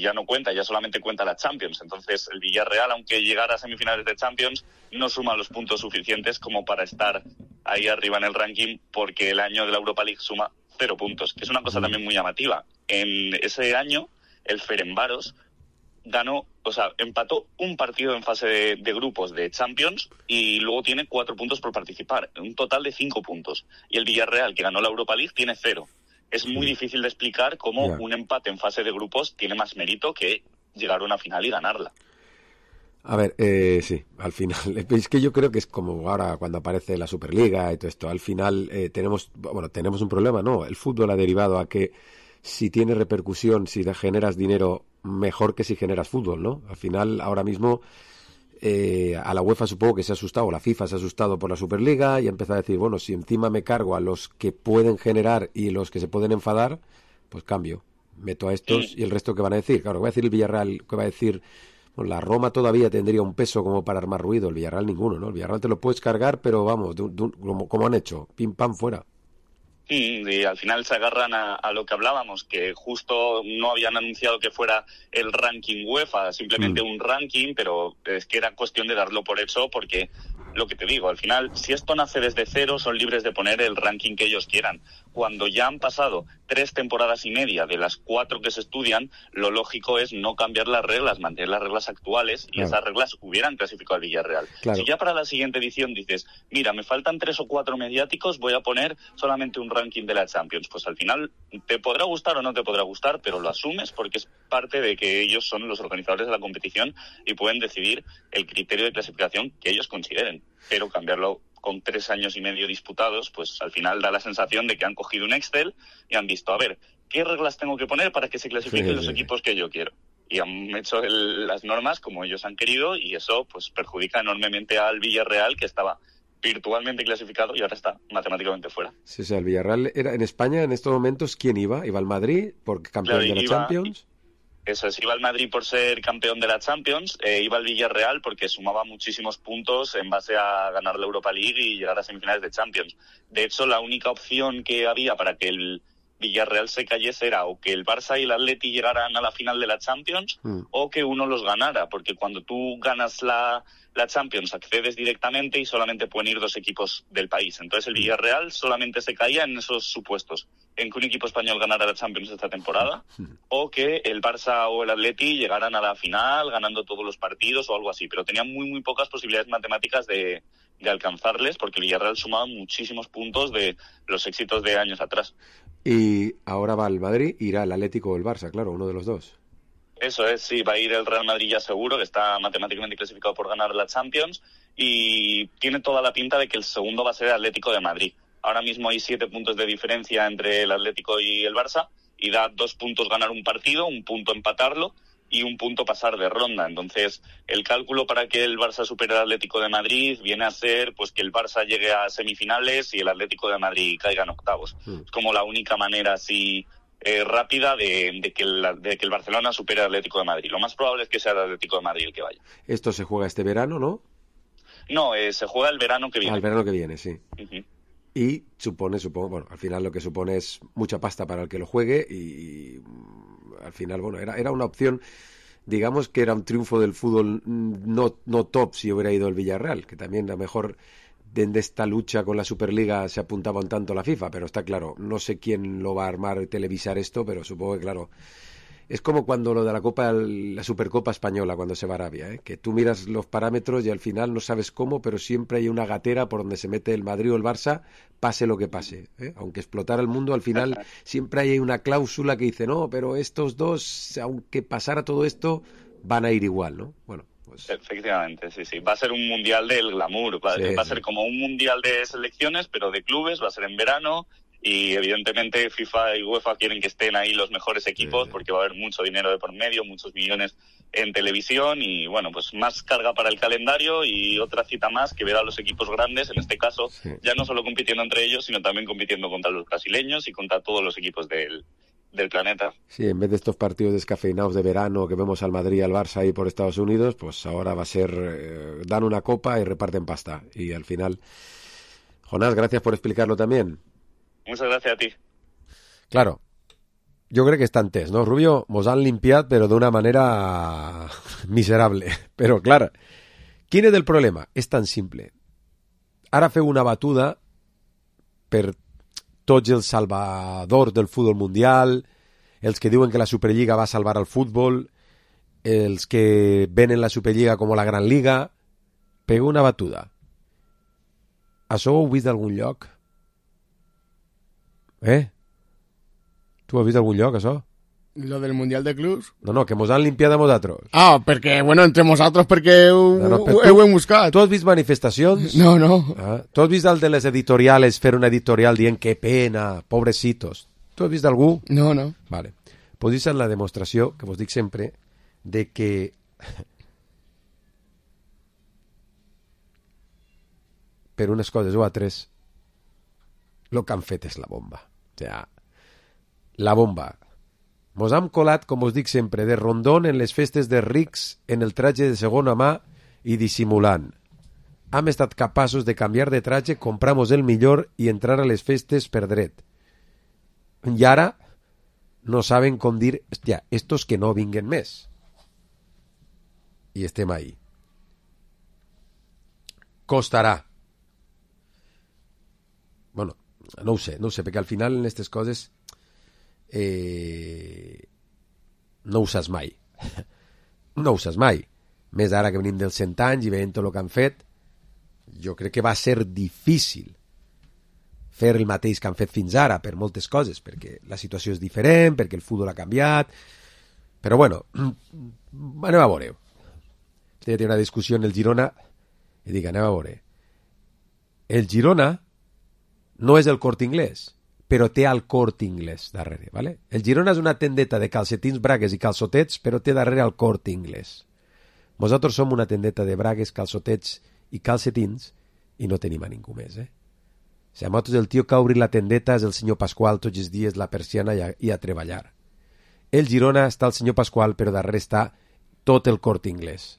ya no cuenta, ya solamente cuenta la Champions. Entonces el Villarreal, aunque llegara a semifinales de Champions, no suma los puntos suficientes como para estar ahí arriba en el ranking, porque el año de la Europa League suma 0 puntos, que es una cosa también muy llamativa. En ese año el Ferencváros empató un partido en fase de grupos de Champions y luego tiene 4 puntos por participar, un total de 5 puntos. Y el Villarreal, que ganó la Europa League, tiene 0. Es muy difícil de explicar cómo un empate en fase de grupos tiene más mérito que llegar a una final y ganarla. A ver, sí, al final, es que yo creo que es como ahora cuando aparece la Superliga y todo esto, al final tenemos un problema, ¿no? El fútbol ha derivado a que si tiene repercusión, si generas dinero, mejor que si generas fútbol, ¿no? Al final, ahora mismo, a la UEFA supongo que se ha asustado, la FIFA se ha asustado por la Superliga y ha empezado a decir, bueno, si encima me cargo a los que pueden generar y los que se pueden enfadar, pues cambio, meto a estos y el resto que van a decir. Claro, va a decir el Villarreal, que va a decir, bueno, la Roma todavía tendría un peso como para armar ruido, el Villarreal ninguno, ¿no? El Villarreal te lo puedes cargar, pero vamos, como han hecho, pim pam fuera. Y al final se agarran a lo que hablábamos, que justo no habían anunciado que fuera el ranking UEFA, simplemente un ranking, pero es que era cuestión de darlo por hecho, porque lo que te digo, al final, si esto nace desde cero, son libres de poner el ranking que ellos quieran. Cuando ya han pasado 3 temporadas y media de las 4 que se estudian, lo lógico es no cambiar las reglas, mantener las reglas actuales, y esas reglas hubieran clasificado al Villarreal. Claro. Si ya para la siguiente edición dices, mira, me faltan 3 o 4 mediáticos, voy a poner solamente un ranking de la Champions, pues al final te podrá gustar o no te podrá gustar, pero lo asumes porque es parte de que ellos son los organizadores de la competición y pueden decidir el criterio de clasificación que ellos consideren. Pero cambiarlo con 3 años y medio disputados, pues al final da la sensación de que han cogido un Excel y han visto, a ver, ¿qué reglas tengo que poner para que se clasifiquen los equipos que yo quiero? Y han hecho las normas como ellos han querido, y eso pues perjudica enormemente al Villarreal, que estaba virtualmente clasificado y ahora está matemáticamente fuera. Sí, o sea, el Villarreal era en España en estos momentos, ¿quién iba? ¿Iba al Madrid porque campeón de la Champions? Eso es, iba al Madrid por ser campeón de la Champions, iba al Villarreal porque sumaba muchísimos puntos en base a ganar la Europa League y llegar a semifinales de Champions. De hecho, la única opción que había para que el Villarreal se cayese era o que el Barça y el Atleti llegaran a la final de la Champions o que uno los ganara, porque cuando tú ganas la Champions accedes directamente y solamente pueden ir 2 equipos del país. Entonces el Villarreal solamente se caía en esos supuestos, en que un equipo español ganara la Champions esta temporada o que el Barça o el Atleti llegaran a la final ganando todos los partidos o algo así, pero tenían muy pocas posibilidades matemáticas de alcanzarles, porque el Villarreal sumaba muchísimos puntos de los éxitos de años atrás. Y ahora va al Madrid, irá el Atlético o el Barça, claro, uno de los dos. Eso es, sí, va a ir el Real Madrid ya seguro, que está matemáticamente clasificado por ganar la Champions, y tiene toda la pinta de que el segundo va a ser el Atlético de Madrid. Ahora mismo hay 7 puntos de diferencia entre el Atlético y el Barça, y da 2 puntos ganar un partido, 1 punto empatarlo, y 1 punto pasar de ronda. Entonces, el cálculo para que el Barça supere al Atlético de Madrid viene a ser pues que el Barça llegue a semifinales y el Atlético de Madrid caiga en octavos. Es como la única manera así rápida de que el Barcelona supere al Atlético de Madrid. Lo más probable es que sea el Atlético de Madrid el que vaya. Esto se juega este verano, ¿no? No, se juega el verano que viene. El verano que viene, sí. Y supongo, bueno, al final lo que supone es mucha pasta para el que lo juegue y al final, bueno, era una opción, digamos que era un triunfo del fútbol no top si hubiera ido el Villarreal, que también a lo mejor de esta lucha con la Superliga se apuntaba un tanto la FIFA, pero está claro, no sé quién lo va a armar y televisar esto, pero supongo que claro, es como cuando lo de la Supercopa Española cuando se va a Arabia, que tú miras los parámetros y al final no sabes cómo, pero siempre hay una gatera por donde se mete el Madrid o el Barça, pase lo que pase, aunque explotara el mundo, al final siempre hay una cláusula que dice, no, pero estos dos, aunque pasara todo esto, van a ir igual, ¿no? Bueno, pues... Efectivamente, sí. Va a ser un mundial del glamour, va a ser como un mundial de selecciones, pero de clubes, va a ser en verano. Y evidentemente FIFA y UEFA quieren que estén ahí los mejores equipos porque va a haber mucho dinero de por medio, muchos millones en televisión y bueno, pues más carga para el calendario y otra cita más que ver a los equipos grandes, en este caso, ya no solo compitiendo entre ellos, sino también compitiendo contra los brasileños y contra todos los equipos del planeta. Sí, en vez de estos partidos descafeinados de verano que vemos al Madrid y al Barça ahí por Estados Unidos, pues ahora va a ser, dan una copa y reparten pasta. Y al final, Jonás, gracias por explicarlo también. Muchas gracias a ti. Claro, jo crec que està entès, no, Rubio? Mos han limpiat, però d'una manera miserable. Però, clar, quin és el problema? És tan simple. Ara feu una batuda per tots els salvadors del futbol mundial, els que diuen que la Superliga va salvar el futbol, els que venen la Superliga com la Gran Liga. Pego una batuda. Això ho heu vist d'algun lloc? Tu has vist algun lloc, això? Lo del Mundial de Clubs? No, que mos han limpiat a nosaltres. Ah, perquè, bueno, entre nosaltres perquè ho hem buscat. Tu has vist manifestacions? No. Tu has vist el de les editoriales fer una editorial dient que pena, pobrecitos? Tu has vist algú? No. Vale. Pues això és la demostració, que vos dic sempre, de que per unes coses o altres, el que han fet és la bomba. O sigui, la bomba. Mos hem colat, com us dic sempre, de rondón en les festes de rics en el traje de segona mà i dissimulant. Hem estat capaços de canviar de traje, compramos el millor i entrar a les festes per dret. I ara no saben com dir, hòstia, estos que no vinguen més. I estem ahí. Costarà. Bueno, no ho sé, perquè al final en aquestes coses no ho saps mai. No ho saps mai. Més ara que venim dels 100 anys i veient tot el que han fet, jo crec que va ser difícil fer el mateix que han fet fins ara per moltes coses, perquè la situació és diferent, perquè el futbol ha canviat, però bueno, anem a veure. Té una discussió en el Girona i dic, anem a veure. El Girona no és el Corte Inglés, però té el Corte Inglés darrere, ¿vale? El Girona és una tendeta de calcetins, bragues i calçotets, però té darrere el Corte Inglés. Nosaltres som una tendeta de bragues, calçotets i calcetins i no tenim a ningú més, eh? O sigui, nosaltres el tio que ha obrit la tendeta és el senyor Pasqual tots els dies, la persiana i a treballar. El Girona està el senyor Pasqual, però darrere està tot el Corte Inglés.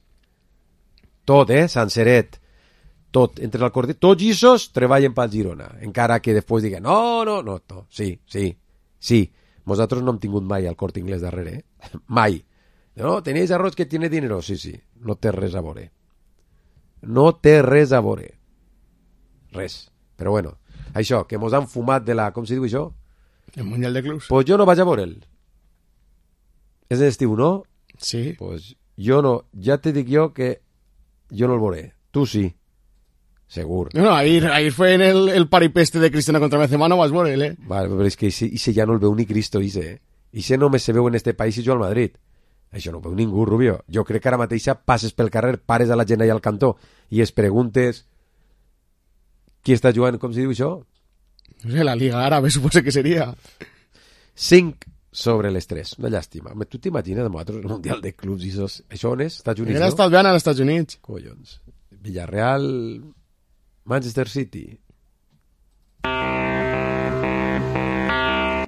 Tot, Sanseret. Tot, entre el Corte... Tots aquests treballen pel Girona, encara que després diguen no, sí. Nosaltres no hem tingut mai el Corte Inglés darrere, mai. No, tenéis arroz que tiene dinero, sí, no té res a veure. No té res a veure. Res. Però bueno, això, que mos han fumat de la... Com se diu això? El Mundial de Clubs. Pues jo no vaig a veure'l. És d'estiu, no? Sí. Pues jo no, ja te dic jo que jo no el veuré. Tu sí. Segur. No, ahir fue en el paripeste de Cristiano contra Benzema, no vas veure, eh? Vale, però és que ese ja no el veu ni Cristo, ese, Ese només se veu en este país i jo al Madrid. Això no ho veu ningú, Rubio. Jo crec que ara mateixa passes pel carrer, pares a la gent allà al cantó i es preguntes qui està jugant, com se diu això? No sé, la Liga Árabe suposo que seria. 5 sobre les 3. Una llàstima. Tu t'imagines amb nosaltres el Mundial de Clubs i això on és? Estats Units, no? Està veient als Estats Units. Collons. Villarreal... Manchester City.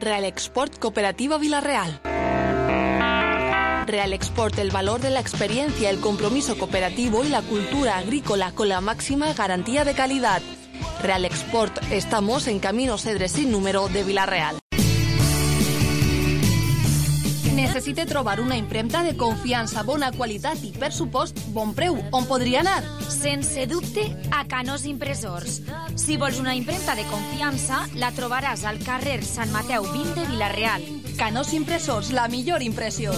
Real Export Cooperativa Villarreal. Real Export, el valor de la experiencia, el compromiso cooperativo y la cultura agrícola con la máxima garantía de calidad. Real Export, estamos en Camino Cedres sin número de Villarreal. Necessite trobar una impremta de confiança, bona qualitat i, per supost, bon preu. On podria anar? Sense dubte, a Canós Impressors. Si vols una impremta de confiança, la trobaràs al carrer Sant Mateu 20 de Villarreal. Canós Impressors, la millor impressió.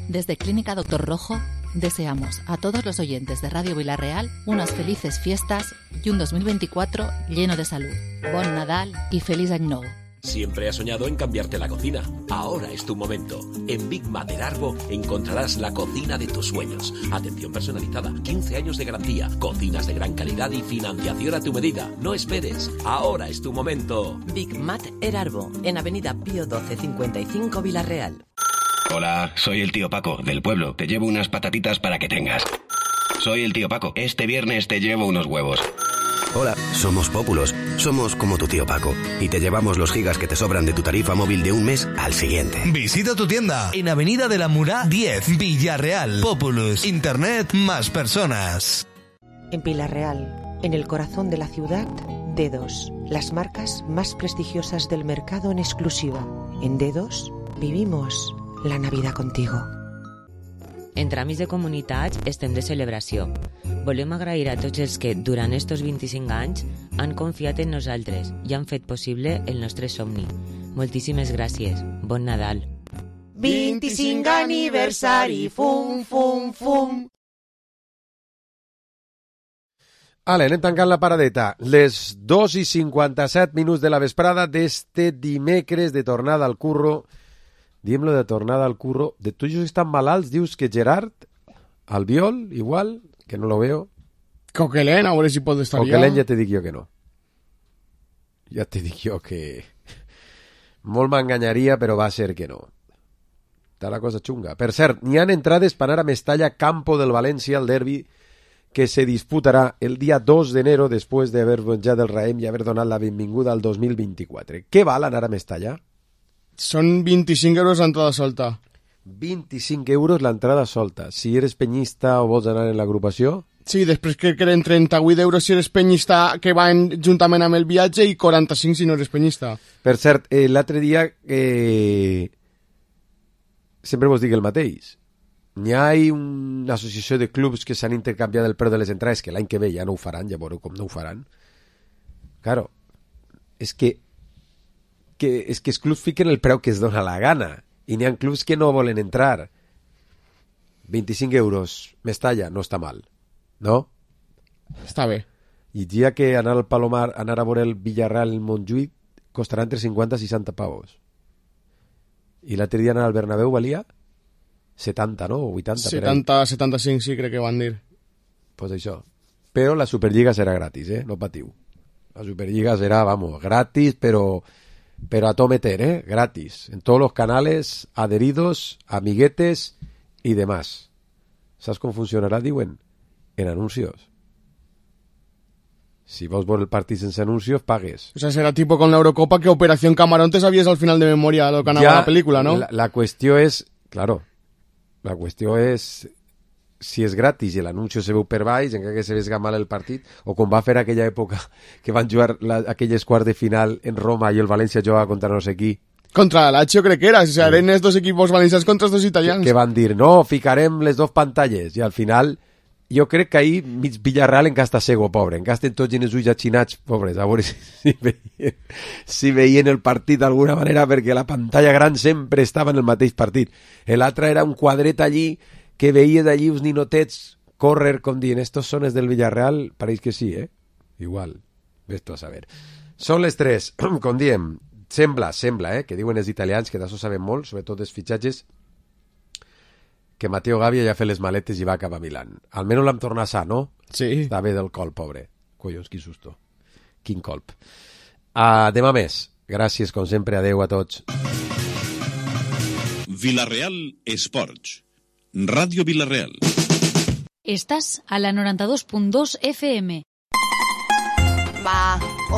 Desde Clínica Doctor Rojo, deseamos a todos los oyentes de Radio Villarreal unas felices fiestas y un 2024 lleno de salud. Bon Nadal y feliz año nuevo. Siempre has soñado en cambiarte la cocina. Ahora es tu momento. En Big Mat Erarbo encontrarás la cocina de tus sueños. Atención personalizada, 15 años de garantía, cocinas de gran calidad y financiación a tu medida. No esperes. Ahora es tu momento. Big Mat Erarbo, en Avenida Pío 12 55 Villarreal. Hola, soy el tío Paco, del pueblo. Te llevo unas patatitas para que tengas. Soy el tío Paco. Este viernes te llevo unos huevos. Hola, somos Pópulos. Somos como tu tío Paco. Y te llevamos los gigas que te sobran de tu tarifa móvil de un mes al siguiente. Visita tu tienda en Avenida de la Murá 10, Villarreal. Populus. Internet más personas. En Villarreal, en el corazón de la ciudad, Dedos. Las marcas más prestigiosas del mercado en exclusiva. En Dedos vivimos la Navidad contigo. Entre amics de comunitats estem de celebració. Volem agrair a tots els que, durant estos 25 anys, han confiat en nosaltres i han fet possible el nostre somni. Moltíssimes gràcies. Bon Nadal. 25 aniversari, fum, fum, fum. Ale, anem tancant la paradeta. Les 2:57 de la vesprada d'este dimecres de tornada al curro. Diem-lo de tornada al curro. De tots els que estan malalts, dius que Gerard, Albiol, igual, que no lo veo. Coquelén, a veure si pot estar Coquelén ja te dic jo que no. Ja te dic jo que... Molt m'enganyaria, però va ser que no. Està la cosa xunga. Per cert, n'hi han entrades per anar a Mestalla, Campo del València, al derbi, que se disputarà el dia 2 d'enero després d'haver venjat el Raïm i haver donat la benvinguda al 2024. Què val anar a Mestalla? Són 25 euros l'entrada solta. 25 euros l'entrada solta. Si eres penyista o vols anar en l'agrupació... Sí, després crec que eren 38 euros si eres penyista que van juntament amb el viatge i 45 si no eres penyista. Per cert, l'altre dia sempre vos dic el mateix. N'hi ha una associació de clubs que s'han intercanviat el preu de les entrades, que l'any que ve ja no ho faran, ja veureu com no ho faran. Claro, és que els clubs fiquen el preu que es dona la gana i n'hi ha clubs que no volen entrar. 25 euros, Mestalla, no està mal, no? Està bé. I dia que anar al Palomar, anar a veure el Villarreal, el Montjuïc, costarà entre 50 i 60 pavos. I l'altre dia anar al Bernabéu valia 70, no? O 80. 70, 75, sí, crec que van dir. Pues això. Però la Superliga serà gratis, no patiu. La Superliga será, vamos, gratis, pero a todo meter, gratis. En todos los canales, adheridos, amiguetes y demás. ¿Sabes cómo funcionará, diuen? En anuncios. Si vos por el partit sense anuncios, pagues. O sea, será tipo con la Eurocopa que Operación Camarón te sabías al final de memoria lo que ganaba la película, ¿no? La cuestión es, claro, la cuestión es si és gratis i l'anunci se veu per baix, encara que se vesga mal el partit, o com va fer aquella època que van jugar aquelles quarts de final en Roma i el València jugava contra no sé qui. Contra la Lazio crec que era, o sea, eren els dos equipos valencians contra els dos italians. Que van dir, no, ficarem les dos pantalles, i al final jo crec que ahir mig Villarreal encara està cego, pobre, encara estan tots en els ulls atxinats, pobres, a veure si veien el partit d'alguna manera, perquè la pantalla gran sempre estava en el mateix partit. L'altre era un quadret allí que veies d'allí uns ninotets córrer com dient, estos són els del Villarreal, pareix que sí, Igual, ves tu a saber. Són les 3, com diem, sembla, que diuen els italians, que d'això saben molt, sobretot els fitxatges, que Matteo Gavi ja ha fet les maletes i va cap a Milán. Almenys l'hem tornat sa, no? Sí. Està bé del colp, pobre. Collons, quin susto. Quin colp. Demà més. Gràcies, com sempre. Adeu a tots. Villarreal Esports. Radio Villarreal. Estás a la 92.2 FM. Va,